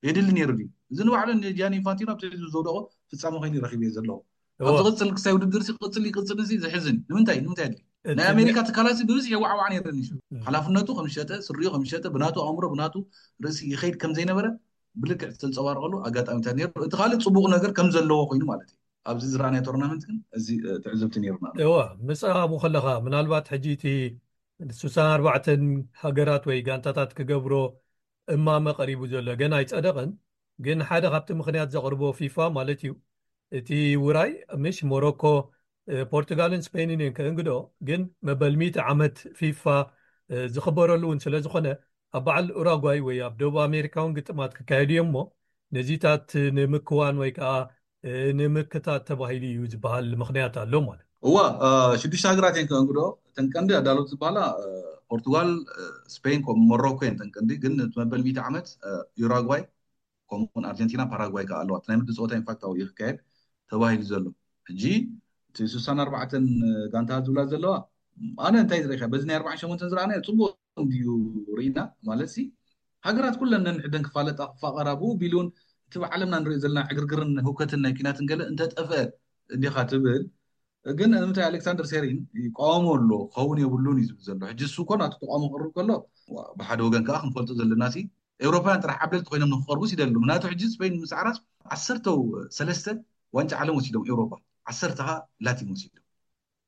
የድሊ ነይሩ ድዩ? እዚ ንባዕሉ ንጃኒ ኢንፋንቲኖ ኣብቲ ህዝቢ ዘውደቆ ፍጻመ ኮይኑ ረኺበ ዘለኹ። ኣብ ዝቕጽል ክሳይ ውድድር ሲ ቅጽል ይቅጽል ሲ ዘሕዝን እዩ። ንምንታይ ንምንታይ ኣድሊ ናይ ኣሜሪካ ትካላት ሲ ብብዝሒ የዋዕዋዕ ነይረን እዩ። ሓላፍነቱ ከም ዝሸጠ ስሪኡ ከም ዝሸጠ ብናቱ ኣእምሮ ብናቱ ርእሲ ይኸይድ ከም ዘይነበረ ብልክዕ ዝተንጸባረቐሉ ኣጋጣሚታት ነይሩ። እቲ ካልእ ጽቡቕ ነገር ከም ዘለዎ ኮይኑ ማለት እዩ። ኣብዚ ዝረኣናዮ ቶርናመንት ግን እዚ ትዕዝብቲ ነይሩና። እዋ ምስ ኣብኡ ከለኻ ምናልባት ሕጂ እቲ ስሳን ኣርባዕተን ሃገራት ወይ ጋንታታት ክገብሮ እማመ ቀሪቡ ዘሎ ገና ኣይጸደቐን። ግን ሓደ ካብቲ ምኽንያት ዘቕርቦ ፊፋ ማለት እዩ እቲ ውራይ ምሽ ሞሮኮ፣ ፖርቱጋልን ስፔንን እየን ከእንግዶ። ግን መበል ሚእቲ ዓመት ፊፋ ዝኽበረሉ እውን ስለ ዝኾነ ኣብ በዓል ኡራጓይ ወይ ኣብ ደቡብ ኣሜሪካ እውን ግጥማት ክካየዱ እዮም። እሞ ነዚታት ንምክዋን ወይ ከዓ ንምክታት ተባሂሉ እዩ ዝበሃል ምኽንያት ኣሎ ማለት። እዋ ሽዱሽተ ሃገራት እየን ከእንግዶ። እተን ቀንዲ ኣዳለውቲ ዝበሃላ ፖርቱጋል፣ ስፔን፣ ሞሮኮ እየን እተን ቀንዲ። ግን እቲ መበል ሚእቲ ዓመት ዩራጓይ ከምኡውን ኣርጀንቲና፣ ፓራጓይ ከዓ ኣለዋ። ናይ ምድሪ ፀወታ ኢንፋክት ኣብኡ እዩ ክካየድ ተባሂሉ ዘሎ። ሕጂ እቲ ስሳን ኣርባዕተን ጋንታታት ዝብላ ዘለዋ ኣነ እንታይ ዝረኢካ በዚ ናይ ኣርባዓን ሸሞንተን ዝረኣናዮ ፅቡቅ እንድዩ ርኢና ማለት ሲ ሃገራት ኩለን ነንሕደን ክፋለጣ ክፋቀራ ብኡ ቢሉን እቲ ብዓለምና ንሪኦ ዘለና ዕግርግርን ህውከትን ናይ ኪናትን ገለ እንተጠፍአ እንዲኻ ትብል። ግን እንታይ ኣሌክሳንደር ሴሪን ይቃወሞ ኣሎ ክኸውን የብሉን እዩ ዝብል ዘሎ። ሕጂ እሱ እኮ ናቱ ተቃውሞ ክቅርብ ከሎ ብሓደ ወገን ከዓ ክንፈልጦ ዘለና ሲ ኤውሮፓውያን ጥራሕ ዓብለልቲ ኮይኖም ንክቀርቡ ይደሉ። ምክንያቱ ሕጂ ስፔን ምስ ዓራስ ዓሰርተው ሰለስተ ዋንጫ ዓለም ወሲዶም ኤውሮፓ ዓሰርተ ከዓ ላቲን ወሲዶም።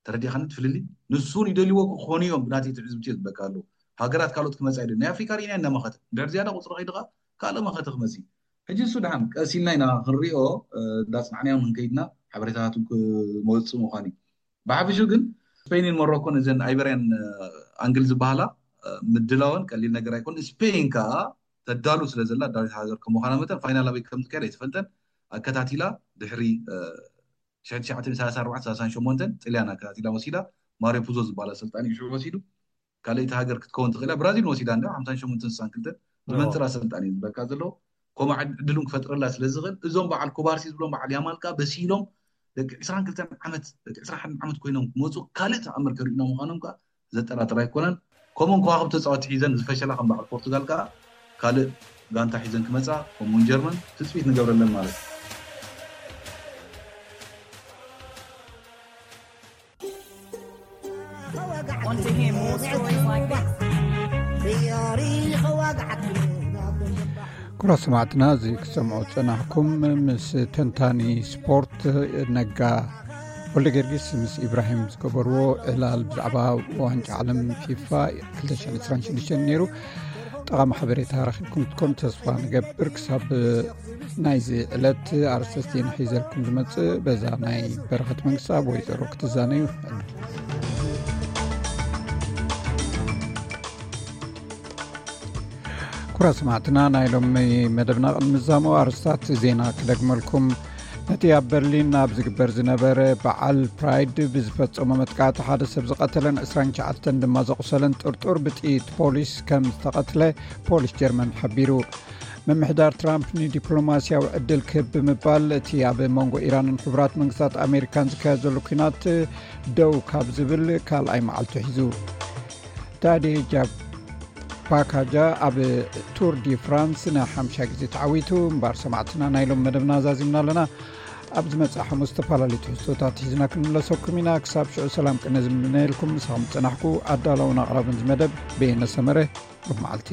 ተረዲኻኒ ትፍልሊ ንሱን ይደልዎ ክኾኑ እዮም። ብናተይ ትዕዝብቲ እየ ዝበካ ኣለዉ። ሃገራት ካልኦት ክመፃ ይደል ናይ ኣፍሪካ ርኢና እናመኸተ ድሕር ዝያዳ ቁፅሪ ከይድኻ ካልእ መኸተ ክመፅ እዩ። ሕጂ እሱ ድሓን ቀስ ኢልና ኢና ክንሪኦ እንዳፅናዕናዮም ክንከይድና ሓበሬታታት ክመፅእ ምዃን እዩ። ብሓፈሽኡ ግን ስፔንን ሞሮኮን እዘን ኣይበርያን ኣንግል ዝበሃላ ምድላወን ቀሊል ነገር ኣይኮን። ስፔን ከዓ ተዳሉ ስለ ዘላ ኣዳሊት ሃገር ከምዃና መጠን ፋይናል ኣበይ ከም ዝካየድ ኣይትፈልጠን። ኣከታቲላ ድሕሪ ሽሕቲ ሸዓተ ሰላሳ ኣርባዕተ ሰላሳ ሸሞንተ ጥልያን ኣከታቲላ ወሲዳ። ማሪዮ ፑዞ ዝበሃል ኣሰልጣኒ እዩ ሽዑ ወሲዱ። ካልኣይቲ ሃገር ክትከውን ትኽእላ ብራዚል ወሲዳ እንዳ ሓምሳን ሸሞንተን ስሳን ክልተን ዝመንፅር ኣሰልጣኒ እዩ ዝበካ ዘለዎ። ከምኡ ዕድሉን ክፈጥረላ ስለ ዝኽእል እዞም በዓል ኩባርሲ ዝብሎም በዓል ያማል ከዓ በሲሎም ደቂ ዕስራን ክልተን ዓመት ደቂ ዕስራን ሓደን ዓመት ኮይኖም ክመፁ ካልእ ተኣምር ከርእዩና ምዃኖም ከዓ ዘጠራጥር ኣይኮነን። ከምኡን ከዋኽብቲ ተፃወቲ ሒዘን ዝፈሸላ ከም በዓል ፖርቱጋል ከዓ ካልእ ጋንታ ሒዘን ክመፃ ከምኡውን ጀርመን ትፅቢት ንገብረለን ማለት እዩ። ኩራ ሰማዕትና እዚ ክሰምዖ ዝጸናሕኩም ምስ ተንታኒ ስፖርት ነጋ ወልደ ጊዮርጊስ ምስ ኢብራሂም ዝገበርዎ ዕላል ብዛዕባ ዋንጫ ዓለም ፊፋ ክልተ ሽሕን ዕስራን ሽዱሽተን ነይሩ። ጠቓሚ ሓበሬታ ረኺብኩም ክትኮኑ ተስፋ ንገብር። ክሳብ ናይዚ ዕለት ኣርእስተ ዜና ሒዘልኩም ዝመጽእ በዛ ናይ በረኸት መንግስቲ ኣብ ወይዘሮ ክትዛነዩ። ኩራ ሰማዕትና ናይ ሎሚ መደብና ቅድሚ ምዛሙ ኣርስታት ዜና ክደግመልኩም። ነቲ ኣብ በርሊን ኣብ ዝግበር ዝነበረ በዓል ፕራይድ ብዝፈጸሞ መጥቃዕቲ ሓደ ሰብ ዝቐተለን ዕስራን ትሽዓተን ድማ ዘቑሰለን ጥርጡር ብጥይት ፖሊስ ከም ዝተቐትለ ፖሊስ ጀርመን ሓቢሩ። ምምሕዳር ትራምፕ ንዲፕሎማስያዊ ዕድል ክህብ ብምባል እቲ ኣብ መንጎ ኢራንን ሕቡራት መንግስታት ኣሜሪካን ዝካየድ ዘሎ ኲናት ደው ካብ ዝብል ካልኣይ መዓልቱ ሒዙ። ዳዲ ጃብ ፓካጃ ኣብ ቱር ዲ ፍራንስ ንሓምሻ ግዜ ተዓዊቱ። እምበኣር ሰማዕትና፣ ናይ ሎም መደብና ኣዛዚምና ኣለና። ኣብ ዝመጽእ ሓሙስ ዝተፈላለዩ ትሕዝቶታት ሒዝና ክንምለሰኩም ኢና። ክሳብ ሽዑ ሰላም ቅነ ዝምነየልኩም፣ ምሳኹም ዝጸናሕኩ ኣዳላውን ኣቕራብን ዝመደብ በየነ ሰመረ። ሩብ መዓልቲ።